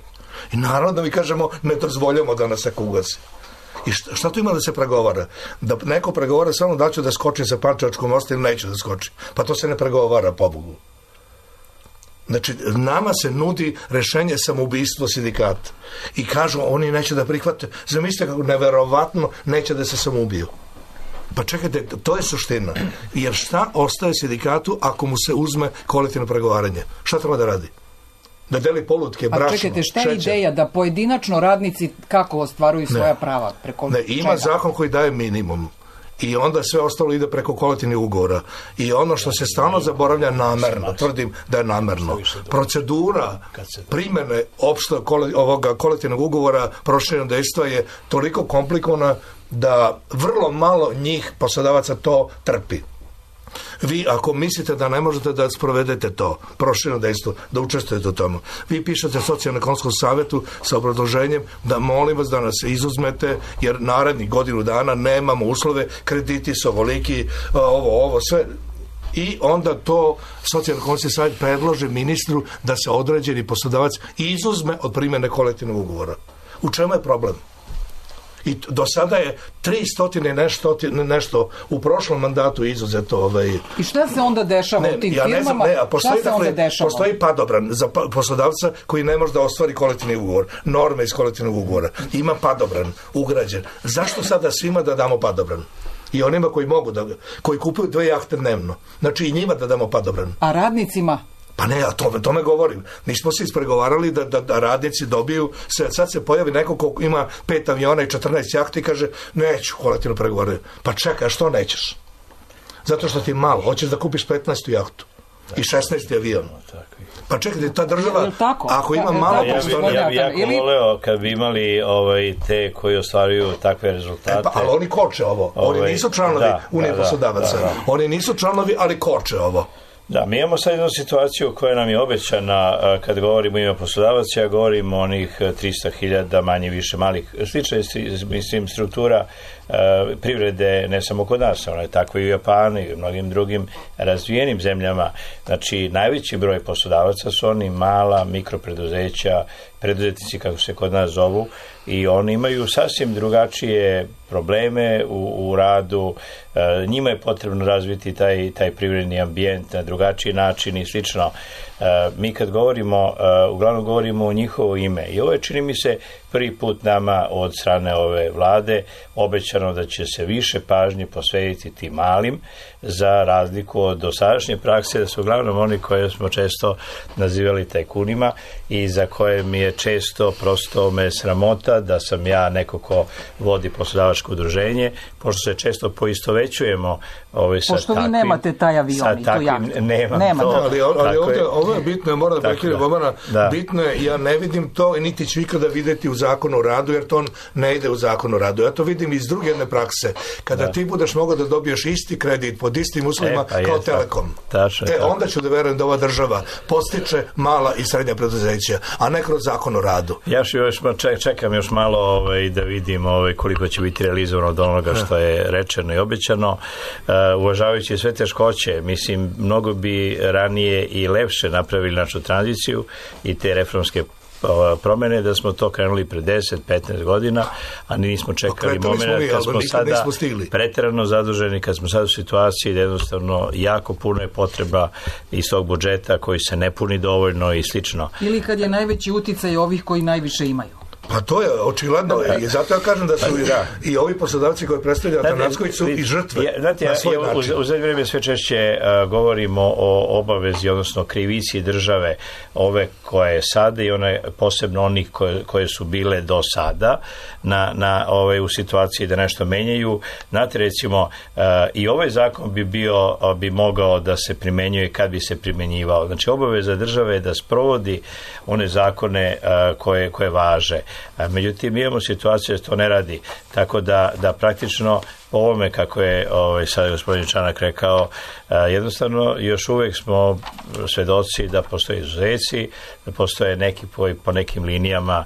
I naravno da mi kažemo, ne dozvoljamo da nas neko ugasi. I šta, šta tu ima da se pregovara? Da neko pregovara samo da ću da skočim sa Pančevačkom mosta ili neću da skočim. Pa to se ne pregovara, pobogu. Znači, nama se nudi rešenje samoubistvo sindikata. I kažu, oni neće da prihvate. Zamislite kako neverovatno neće da se samoubiju. Pa čekajte, to je suština. Jer šta ostaje sindikatu ako mu se uzme kolektivno pregovaranje? Šta treba da radi? Da deli polutke, brašno, šećer? A čekajte, šta je ideja? Da pojedinačno radnici kako ostvaruju svoja ne. prava? Preko ne, ima čega? Zakon koji daje minimum. I onda sve ostalo ide preko kolektivnih ugovora. I ono što se stalno zaboravlja namerno, tvrdim da je namerno. Procedura primjene opštog ovoga kolektivnog ugovora proširenog dejstva je toliko komplikovana da vrlo malo njih poslodavaca to trpi. Vi ako mislite da ne možete da sprovedete to, prošireno dejstvo, da učestvujete u tomu, vi pišete socijalno-ekonomskom savjetu sa obrazloženjem da molim vas da nas izuzmete, jer narednih godinu dana nemamo uslove, krediti su ovoliki, ovo, ovo, sve. I onda to socijalno-ekonomski savjet predloži ministru da se određeni poslodavac izuzme od primjene kolektivnog ugovora. U čemu je problem? I do sada je tristo nešto, nešto u prošlom mandatu izuzeto. Ovaj... I šta se onda dešava ne, u tim ja firmama? Ne znam, ne, a postoji, šta se onda dešava? Postoji padobran za poslodavca koji ne može da ostvari kolektivni ugovor. Norme iz kolektivnog ugovora. Ima padobran ugrađen. Zašto sada svima da damo padobran? I onima koji mogu da, koji kupuju dve jahte dnevno. Znači i njima da damo padobran. A radnicima? Pa ne, a to, tome govorim. Mi smo se ispregovarali da, da, da radnici dobiju, se, sad se pojavi neko ko ima pet aviona i četrnaest jahti i kaže, neću kolektivno pregovarati. Pa čekaj, a što nećeš? Zato što ti je malo, hoćeš da kupiš petnaestu jahtu i šesnaesti avion. Pa čekajte, ta država, ako ima malo... Ja bih ja bi jako voleo kad bi imali ovaj, te koji ostvaruju takve rezultate. E pa, ali oni koče ovo. Oni ovaj, nisu članovi da, Unije da, poslodavaca. Da, da. Oni nisu članovi, ali koče ovo. Da, mi imamo sad jednu situaciju koja nam je obećana kad govorimo ime poslodavaca, ja govorim o onih tristo hiljada manje više malih, slična mislim struktura privrede ne samo kod nas, ona je tako i u Japanu i u mnogim drugim razvijenim zemljama. Znači, najveći broj poslodavaca su oni mala mikropreduzeća, preduzetnici kako se kod nas zovu, i oni imaju sasvim drugačije probleme u, u radu. E, njima je potrebno razviti taj, taj privredni ambijent na drugačiji način i slično. E, mi kad govorimo, e, uglavnom govorimo o njihovo ime. I ovo je, čini mi se, prvi put nama od strane ove vlade obećano da će se više pažnje posvetiti tim malim, za razliku od dosadašnje prakse, da su uglavnom oni koje smo često nazivali tajkunima i za koje mi je često prosto me sramota da sam ja neko ko vodi poslodavačko udruženje, pošto se često poistovećujemo ove, sa pošto takvim... vi nemate taj avion i tu jahtu. Nemam Nema to. To. Ali, ali ovdje, ovo je bitno, ja moram da prekinem Bomana, bitno je, ja ne vidim to i niti ću ikada vidjeti u zakonu o radu, jer to ne ide u zakonu o radu. Ja to vidim iz druge jedne prakse. Kada da. ti budeš mogao da dobiješ isti kredit pod istim uslovima e, pa kao je, Telekom. Tačno, e, onda ću da verujem da ova država postiče mala i srednja preduzeća, a ne kroz zakon o radu. Ja još čekam još malo ovaj, da vidim ovaj, koliko će biti realizovano od onoga što je rečeno i obećano. Uh, uvažavajući sve teškoće, mislim, mnogo bi ranije i lepše napravili našu tranziciju i te reformske promene, da smo to krenuli pre deset do petnaest godina, a nismo čekali moment kad smo sada preterano zaduženi, kad smo sada u situaciji da jednostavno jako puno je potreba iz tog budžeta koji se ne puni dovoljno i slično. Ili kad je najveći uticaj ovih koji najviše imaju. Pa to je očigledno i zato ja kažem da su i, da. i ovi poslodavci koji predstavljaju Atanacković su i žrtve. Ja, znate, na svoj ja, način. U, u zadnje vrijeme sve češće uh, govorimo o obavezi, odnosno krivici države, ove koje je sada i one posebno onih koje, koje su bile do sada na, na ove, u situaciji da nešto menjaju. Znate, recimo, uh, i ovaj zakon bi bio, uh, bi mogao da se primenjuje kad bi se primenjivao. Znači, obaveza države je da sprovodi one zakone uh, koje, koje važe. Međutim, imamo situaciju da to ne radi, tako da, da praktično po ovome, kako je ovaj, sad gospodin Čanak rekao, jednostavno još uvijek smo svedoci da postoje izuzeci, da postoje neki po, po nekim linijama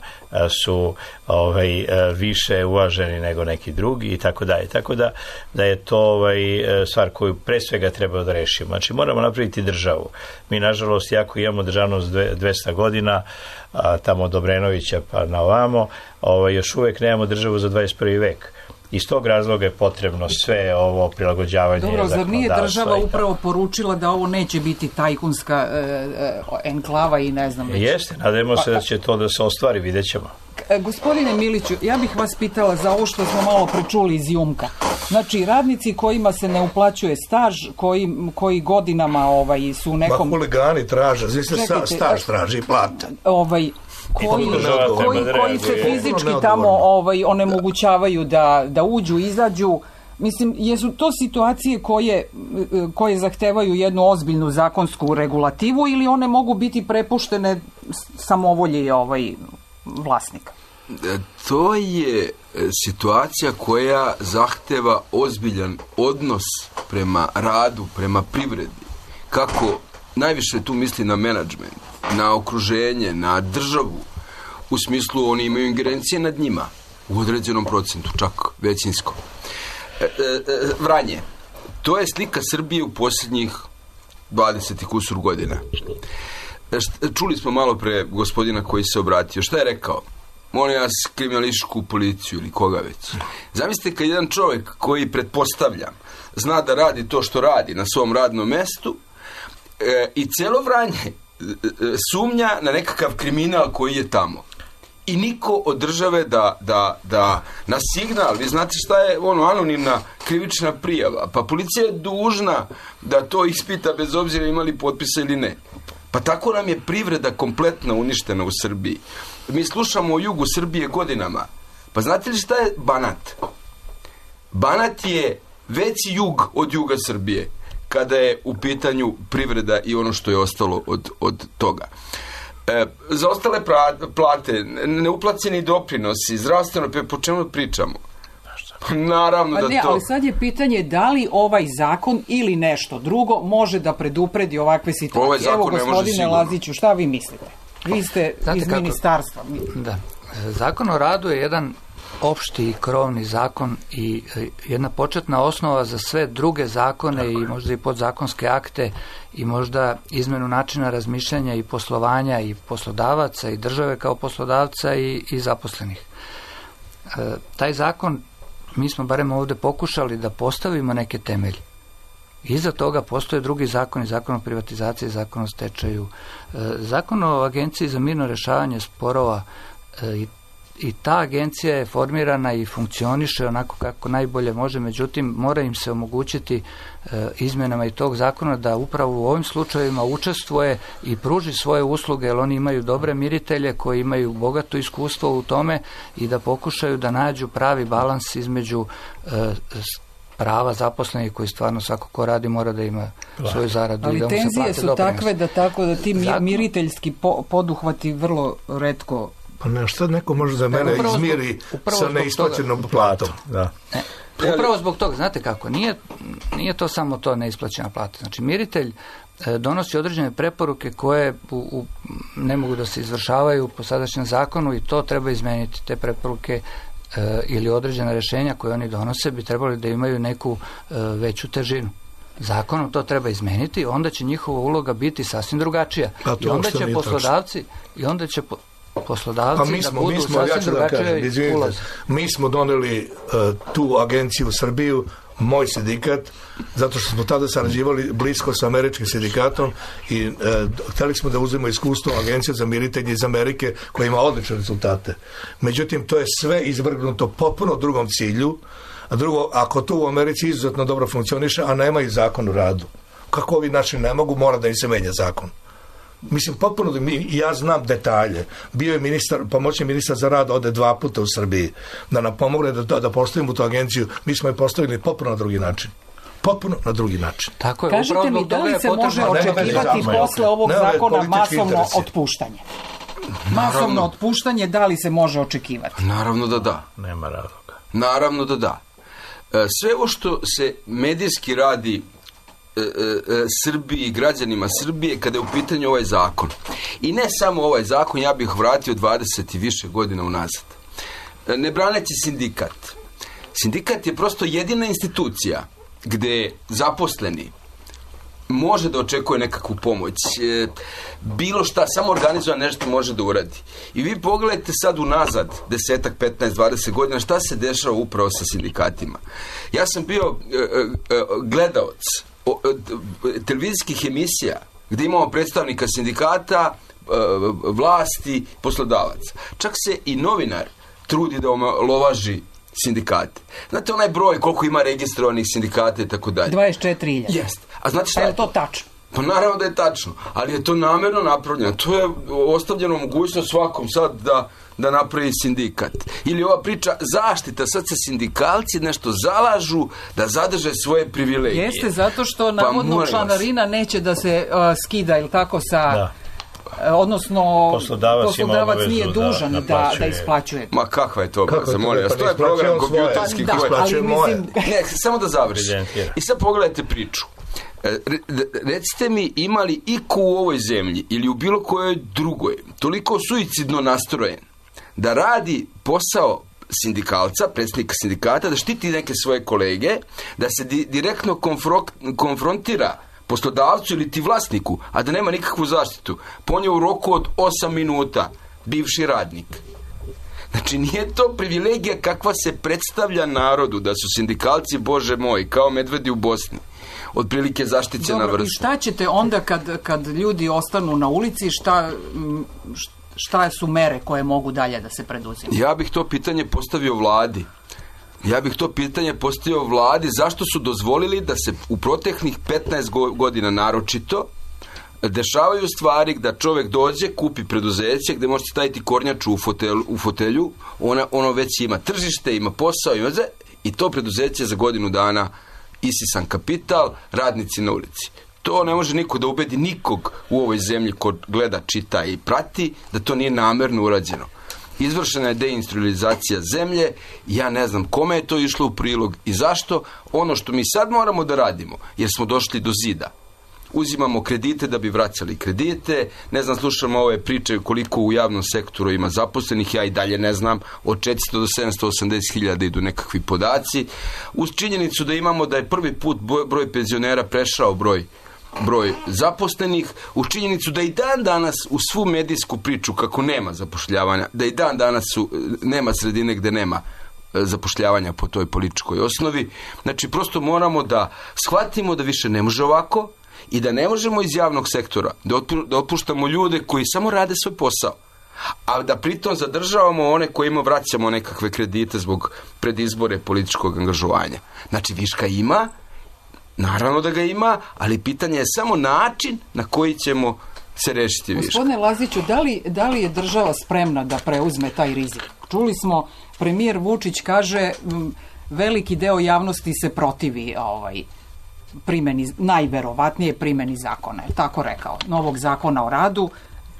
su ovaj, više uvaženi nego neki drugi i tako dalje. Tako da, da je to ovaj, stvar koju pre svega treba da rešimo. Znači, moramo napraviti državu. Mi, nažalost, jako imamo državnost dvesta godina, a, tamo od Obrenovića pa na ovamo, ovaj, još uvijek nemamo državu za dvadeset prvi vek. Iz tog razloga je potrebno sve ovo prilagođavanje. Dobro, zar nije država upravo poručila da ovo neće biti tajkunska e, e, enklava i ne znam već? Jeste, nadajmo se da će to da se ostvari, vidjet ćemo. E, gospodine Miliću, ja bih vas pitala za ovo što smo malo prečuli iz Jumka. Znači, radnici kojima se ne uplaćuje staž, koji, koji godinama ovaj, su u nekom... Ma huligani traže, znači se staž traži i plate. Ovaj... Koji, koji, koji se fizički tamo ovaj, onemogućavaju da, da uđu, izađu. Mislim, jesu to situacije koje, koje zahtevaju jednu ozbiljnu zakonsku regulativu ili one mogu biti prepuštene samovolji ovaj, vlasnika? To je situacija koja zahteva ozbiljan odnos prema radu, prema privredi. Kako najviše tu misli na menadžment, na okruženje, na državu, u smislu oni imaju ingerencije nad njima, u određenom procentu, čak većinsko. E, e, Vranje, to je slika Srbije u posljednjih dvadeset kusur godina. Čuli smo malo pre gospodina koji se obratio. Šta je rekao? Molim vas, kriminalističku policiju ili koga već. Zamislite kad jedan čovjek koji, pretpostavljam, zna da radi to što radi na svom radnom mestu e, i celo Vranje e, sumnja na nekakav kriminal koji je tamo. I niko od države da, da, da na signal, vi znate šta je ono anonimna krivična prijava, pa policija je dužna da to ispita bez obzira imali potpisa ili ne. Pa tako nam je privreda kompletno uništena u Srbiji. Mi slušamo o jugu Srbije godinama. Pa znate li šta je Banat? Banat je veći jug od juga Srbije kada je u pitanju privreda i ono što je ostalo od, od toga. E, za ostale plate, neuplaćeni doprinosi, zdravstveno, po čemu pričamo? Naravno pa da ne, to... Ali sad je pitanje da li ovaj zakon ili nešto drugo može da predupredi ovakve situacije. Ovaj zakon Evo, ne može gospodine sigurno. Laziću, šta vi mislite? Vi ste Znate iz kako? ministarstva. Da. Zakon o radu je jedan opšti i krovni zakon i jedna početna osnova za sve druge zakone i možda i podzakonske akte i možda izmenu načina razmišljanja i poslovanja i poslodavaca i države kao poslodavca i, i zaposlenih. E, taj zakon, mi smo barem ovdje pokušali da postavimo neke temelje. Iza toga postoje drugi zakoni, zakon o privatizaciji, zakon o stečaju, e, zakon o agenciji za mirno rješavanje sporova e, i I ta agencija je formirana i funkcioniše onako kako najbolje može, međutim mora im se omogućiti e, izmjenama i tog zakona da upravo u ovim slučajevima učestvuje i pruži svoje usluge, jer oni imaju dobre miritelje koji imaju bogato iskustvo u tome i da pokušaju da nađu pravi balans između e, prava zaposlenih koji stvarno svako ko radi mora da ima svoju zaradu. Ali i da mu se tenzije plate su doprinosi. takve da tako da ti Zakon... miriteljski po, poduhvati vrlo retko. Pa ne, šta neko može za mene upravo izmiri zbog, sa neisplaćenom platom. Da. Ne, upravo zbog toga, znate kako, nije, nije to samo to neisplaćena plata. Znači, miritelj e, donosi određene preporuke koje u, u, ne mogu da se izvršavaju po sadašnjem zakonu i to treba izmeniti. Te preporuke e, ili određena rješenja koje oni donose bi trebali da imaju neku e, veću težinu. Zakonom to treba izmeniti, onda će njihova uloga biti sasvim drugačija. I onda će poslodavci, i onda će po, poslodavci pa mi smo, da budu mi smo, ja sasvim ću da kažem, izvinite, ulaz. mi smo doneli uh, tu agenciju u Srbiju, moj sindikat, zato što smo tada sarađivali blisko sa američkim sindikatom i uh, hteli smo da uzmemo iskustvo agencije za miritelje iz Amerike koja ima odlične rezultate. Međutim, to je sve izvrgnuto potpuno drugom cilju, a drugo, ako to u Americi izuzetno dobro funkcioniše, a nema i zakon o radu, kako ovi naši ne mogu, mora da im se menja zakon. Mislim, potpuno, ja znam detalje. Bio je ministar, pomoćni ministar za rad, ode dva puta u Srbiji, da nam pomogne da, da postavimo tu agenciju. Mi smo je postavili potpuno na drugi način. Potpuno na drugi način. Tako je, kažite mi, da li se može očekivati posle ovog ne, zakona masovno interesi. otpuštanje? Masovno otpuštanje, da li se može očekivati? Naravno da da. Nema razloga. Naravno da da. Sve ovo što se medijski radi e, e, Srbiji, građanima Srbije kada je u pitanju ovaj zakon. I ne samo ovaj zakon, ja bih vratio dvadeset i više godina unazad. Ne braneći sindikat. Sindikat je prosto jedina institucija gde zaposleni može da očekuje nekakvu pomoć. E, bilo šta, samo organizovan nešto može da uradi. I vi pogledajte sad unazad, desetak, petnaest, dvadeset godina, šta se dešava upravo sa sindikatima. Ja sam bio e, e, gledaoc o, e, televizijskih emisija gde imamo predstavnika sindikata, e, vlasti, poslodavaca. Čak se i novinar trudi da omalovaži sindikate. Znate onaj broj koliko ima registrovanih sindikata i tako dalje? dvadeset četiri hiljade. Jest. A znate šta je je to tačno? Pa naravno da je tačno, ali je to namjerno napravljeno. To je ostavljeno mogućnost svakom sad da, da napravi sindikat. Ili ova priča zaštita, sad se sindikalci nešto zalažu da zadrže svoje privilegije. Jeste, zato što navodno pa, članarina neće da se uh, skida, ili tako, sa... Da. odnosno poslodavac, poslodavac nije dužan da, da, da isplaćuje. Ma kakva je to obaveza, molim vas, to je program kompjuterski da, koji... ali mislim... Ne, samo da završim. I sad pogledajte priču. Recite mi, ima li iko u ovoj zemlji ili u bilo kojoj drugoj toliko suicidno nastrojen da radi posao sindikalca, predsjednika sindikata, da štiti neke svoje kolege, da se di, direktno konfro- konfrontira poslodavcu ili ti vlasniku, a da nema nikakvu zaštitu, ponio u roku od osam minuta bivši radnik. Znači, nije to privilegija kakva se predstavlja narodu, da su sindikalci, Bože moj, kao medvedi u Bosni, otprilike zaštićena vrsta. I šta ćete onda kad, kad ljudi ostanu na ulici, šta, šta su mere koje mogu dalje da se preduzimaju? Ja bih to pitanje postavio vladi. Ja bih to pitanje postavio vladi zašto su dozvolili da se u proteklih petnaest godina naročito dešavaju stvari da čovjek dođe, kupi preduzeće gdje možete staviti kornjaču u fotelju, u fotelju ona, ono već ima tržište, ima posao ima ze, i to preduzeće za godinu dana isisan kapital, radnici na ulici. To ne može niko da ubedi nikog u ovoj zemlji ko gleda, čita i prati da to nije namerno urađeno. Izvršena je deindustrializacija zemlje, ja ne znam kome je to išlo u prilog i zašto. Ono što mi sad moramo da radimo, jer smo došli do zida. Uzimamo kredite da bi vraćali kredite, ne znam, slušamo ove priče koliko u javnom sektoru ima zaposlenih, ja i dalje ne znam, od četiristo do sedamsto osamdeset hiljada idu nekakvi podaci, uz činjenicu da imamo da je prvi put broj penzionera prešao broj broj zaposlenih, u činjenicu da i dan danas u svu medijsku priču kako nema zapošljavanja, da i dan danas su, nema sredine gde nema zapošljavanja po toj političkoj osnovi. Znači, prosto moramo da shvatimo da više ne može ovako i da ne možemo iz javnog sektora da otpuštamo ljude koji samo rade svoj posao, a da pritom zadržavamo one kojima vraćamo nekakve kredite zbog predizbore političkog angažovanja. Znači, viška ima, naravno da ga ima, ali pitanje je samo način na koji ćemo se rešiti viška. Gospodine Laziću, da li, da li je država spremna da preuzme taj rizik? Čuli smo, premijer Vučić kaže, veliki deo javnosti se protivi ovaj, primjeni, najverovatnije primjeni zakona, je tako rekao, novog zakona o radu,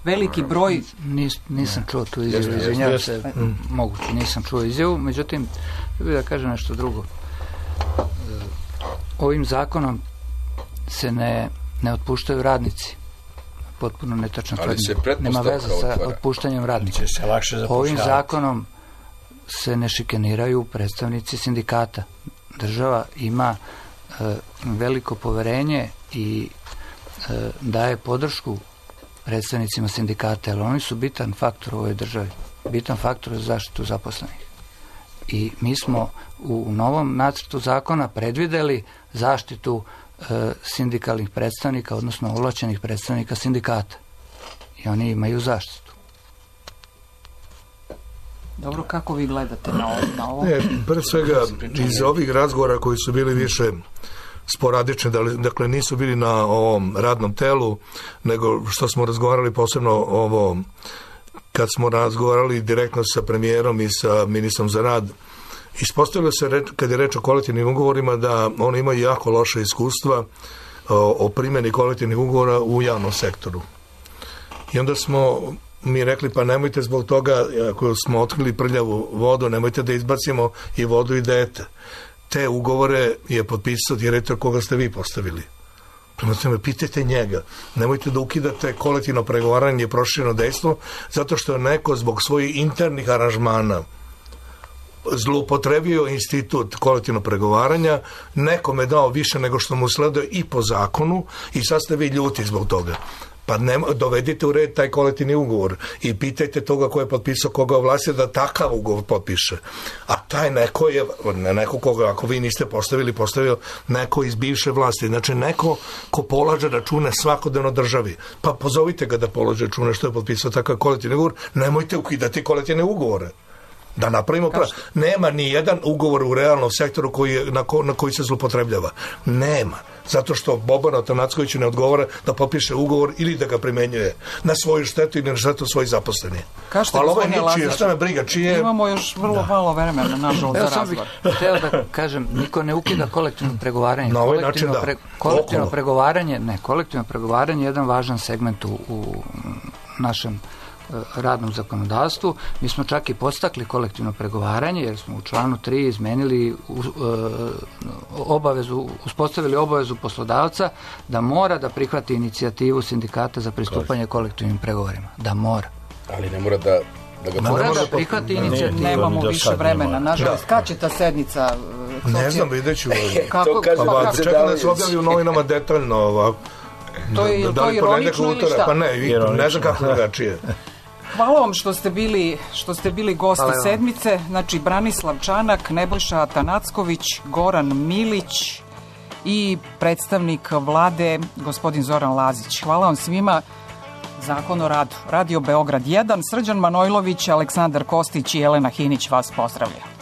veliki broj... Nis, nisam čuo tu izjavu, izvinjavam se, moguće, nisam čuo izjavu, međutim, da kažem nešto drugo. Ovim zakonom se ne, ne otpuštaju radnici. Potpuno netačna tvrdnja. Nema veze sa otpuštanjem radnika. Ovim zakonom se ne šikaniraju predstavnici sindikata. Država ima e, veliko poverenje i e, daje podršku predstavnicima sindikata, jer oni su bitan faktor u ovoj državi. Bitan faktor za zaštitu zaposlenih. I mi smo u novom nacrtu zakona predvideli zaštitu e, sindikalnih predstavnika, odnosno ovlašćenih predstavnika sindikata. I oni imaju zaštitu. Dobro, kako vi gledate na ovo? Na ovo? Ne, pre svega, iz ovih razgovora koji su bili više sporadični, dakle nisu bili na ovom radnom telu, nego što smo razgovarali posebno ovo, kad smo razgovarali direktno sa premijerom i sa ministrom za rad, ispostavilo se, kad je reč o kolektivnim ugovorima, da oni imaju jako loše iskustva o, o primjeni kolektivnih ugovora u javnom sektoru. I onda smo mi rekli, pa nemojte zbog toga, ako smo otkrili prljavu vodu, nemojte da izbacimo i vodu i dete. Te ugovore je potpisao direktor koga ste vi postavili. Prema tome, pitajte njega. Nemojte da ukidate kolektivno pregovaranje i prošireno dejstvo, zato što je neko zbog svojih internih aranžmana zloupotrebio institut kolektivnog pregovaranja, nekome dao više nego što mu sleduje i po zakonu i sad ste vi ljuti zbog toga. Pa ne, dovedite u red taj kolektivni ugovor i pitajte toga ko je potpisao, koga ovlastio da takav ugovor potpiše. A taj neko je, ne neko koga, ako vi niste postavili, postavio neko iz bivše vlasti. Znači neko ko polaže račune svakodnevno državi. Pa pozovite ga da polaže račune što je potpisao takav kolektivni ugovor. Nemojte ukidati kolektivne ugovore. Da napravimo prav. Nema ni jedan ugovor u realnom sektoru koji je, na, ko, na koji se zlupotrebljava. Nema. Zato što Bobanu Atanackoviću ne odgovara da potpiše ugovor ili da ga primenjuje na svoju štetu ili na štetu svojih zaposlenih. Kažete, ali ovo je ničije, šta me briga, čije... Imamo još vrlo da. malo vremena, nažalost, za razgovor. Bih htio da kažem, niko ne ukida kolektivno pregovaranje. Na ovaj način da. Pre, kolektivno Okolo. pregovaranje, ne, kolektivno pregovaranje je jedan važan segment u, u našem radnom zakonodavstvu. Mi smo čak i podstakli kolektivno pregovaranje jer smo u članu tri izmenili uh, obavezu, uspostavili obavezu poslodavca da mora da prihvati inicijativu sindikata za pristupanje kolektivnim pregovorima. Da mora. Ali ne mora da da ga mora da prihvati inicijativu. Nemamo više vremena. Nažalost, kad će ta sednica? Ne znam, vidjet ću. Kako? Čekam da se objavi u novinama detaljno ovako. To je to ironično ili šta? Pa ne, ne znam kako drugačije. Hvala vam što ste bili, što ste bili gosti Hvala sedmice. Znači, Branislav Čanak, Nebojša Atanacković, Goran Milić i predstavnik vlade, gospodin Zoran Lazić. Hvala vam svima. Zakon o radu. Radio Beograd jedan, Srđan Manojlović, Aleksandar Kostić i Jelena Hinić vas pozdravlja.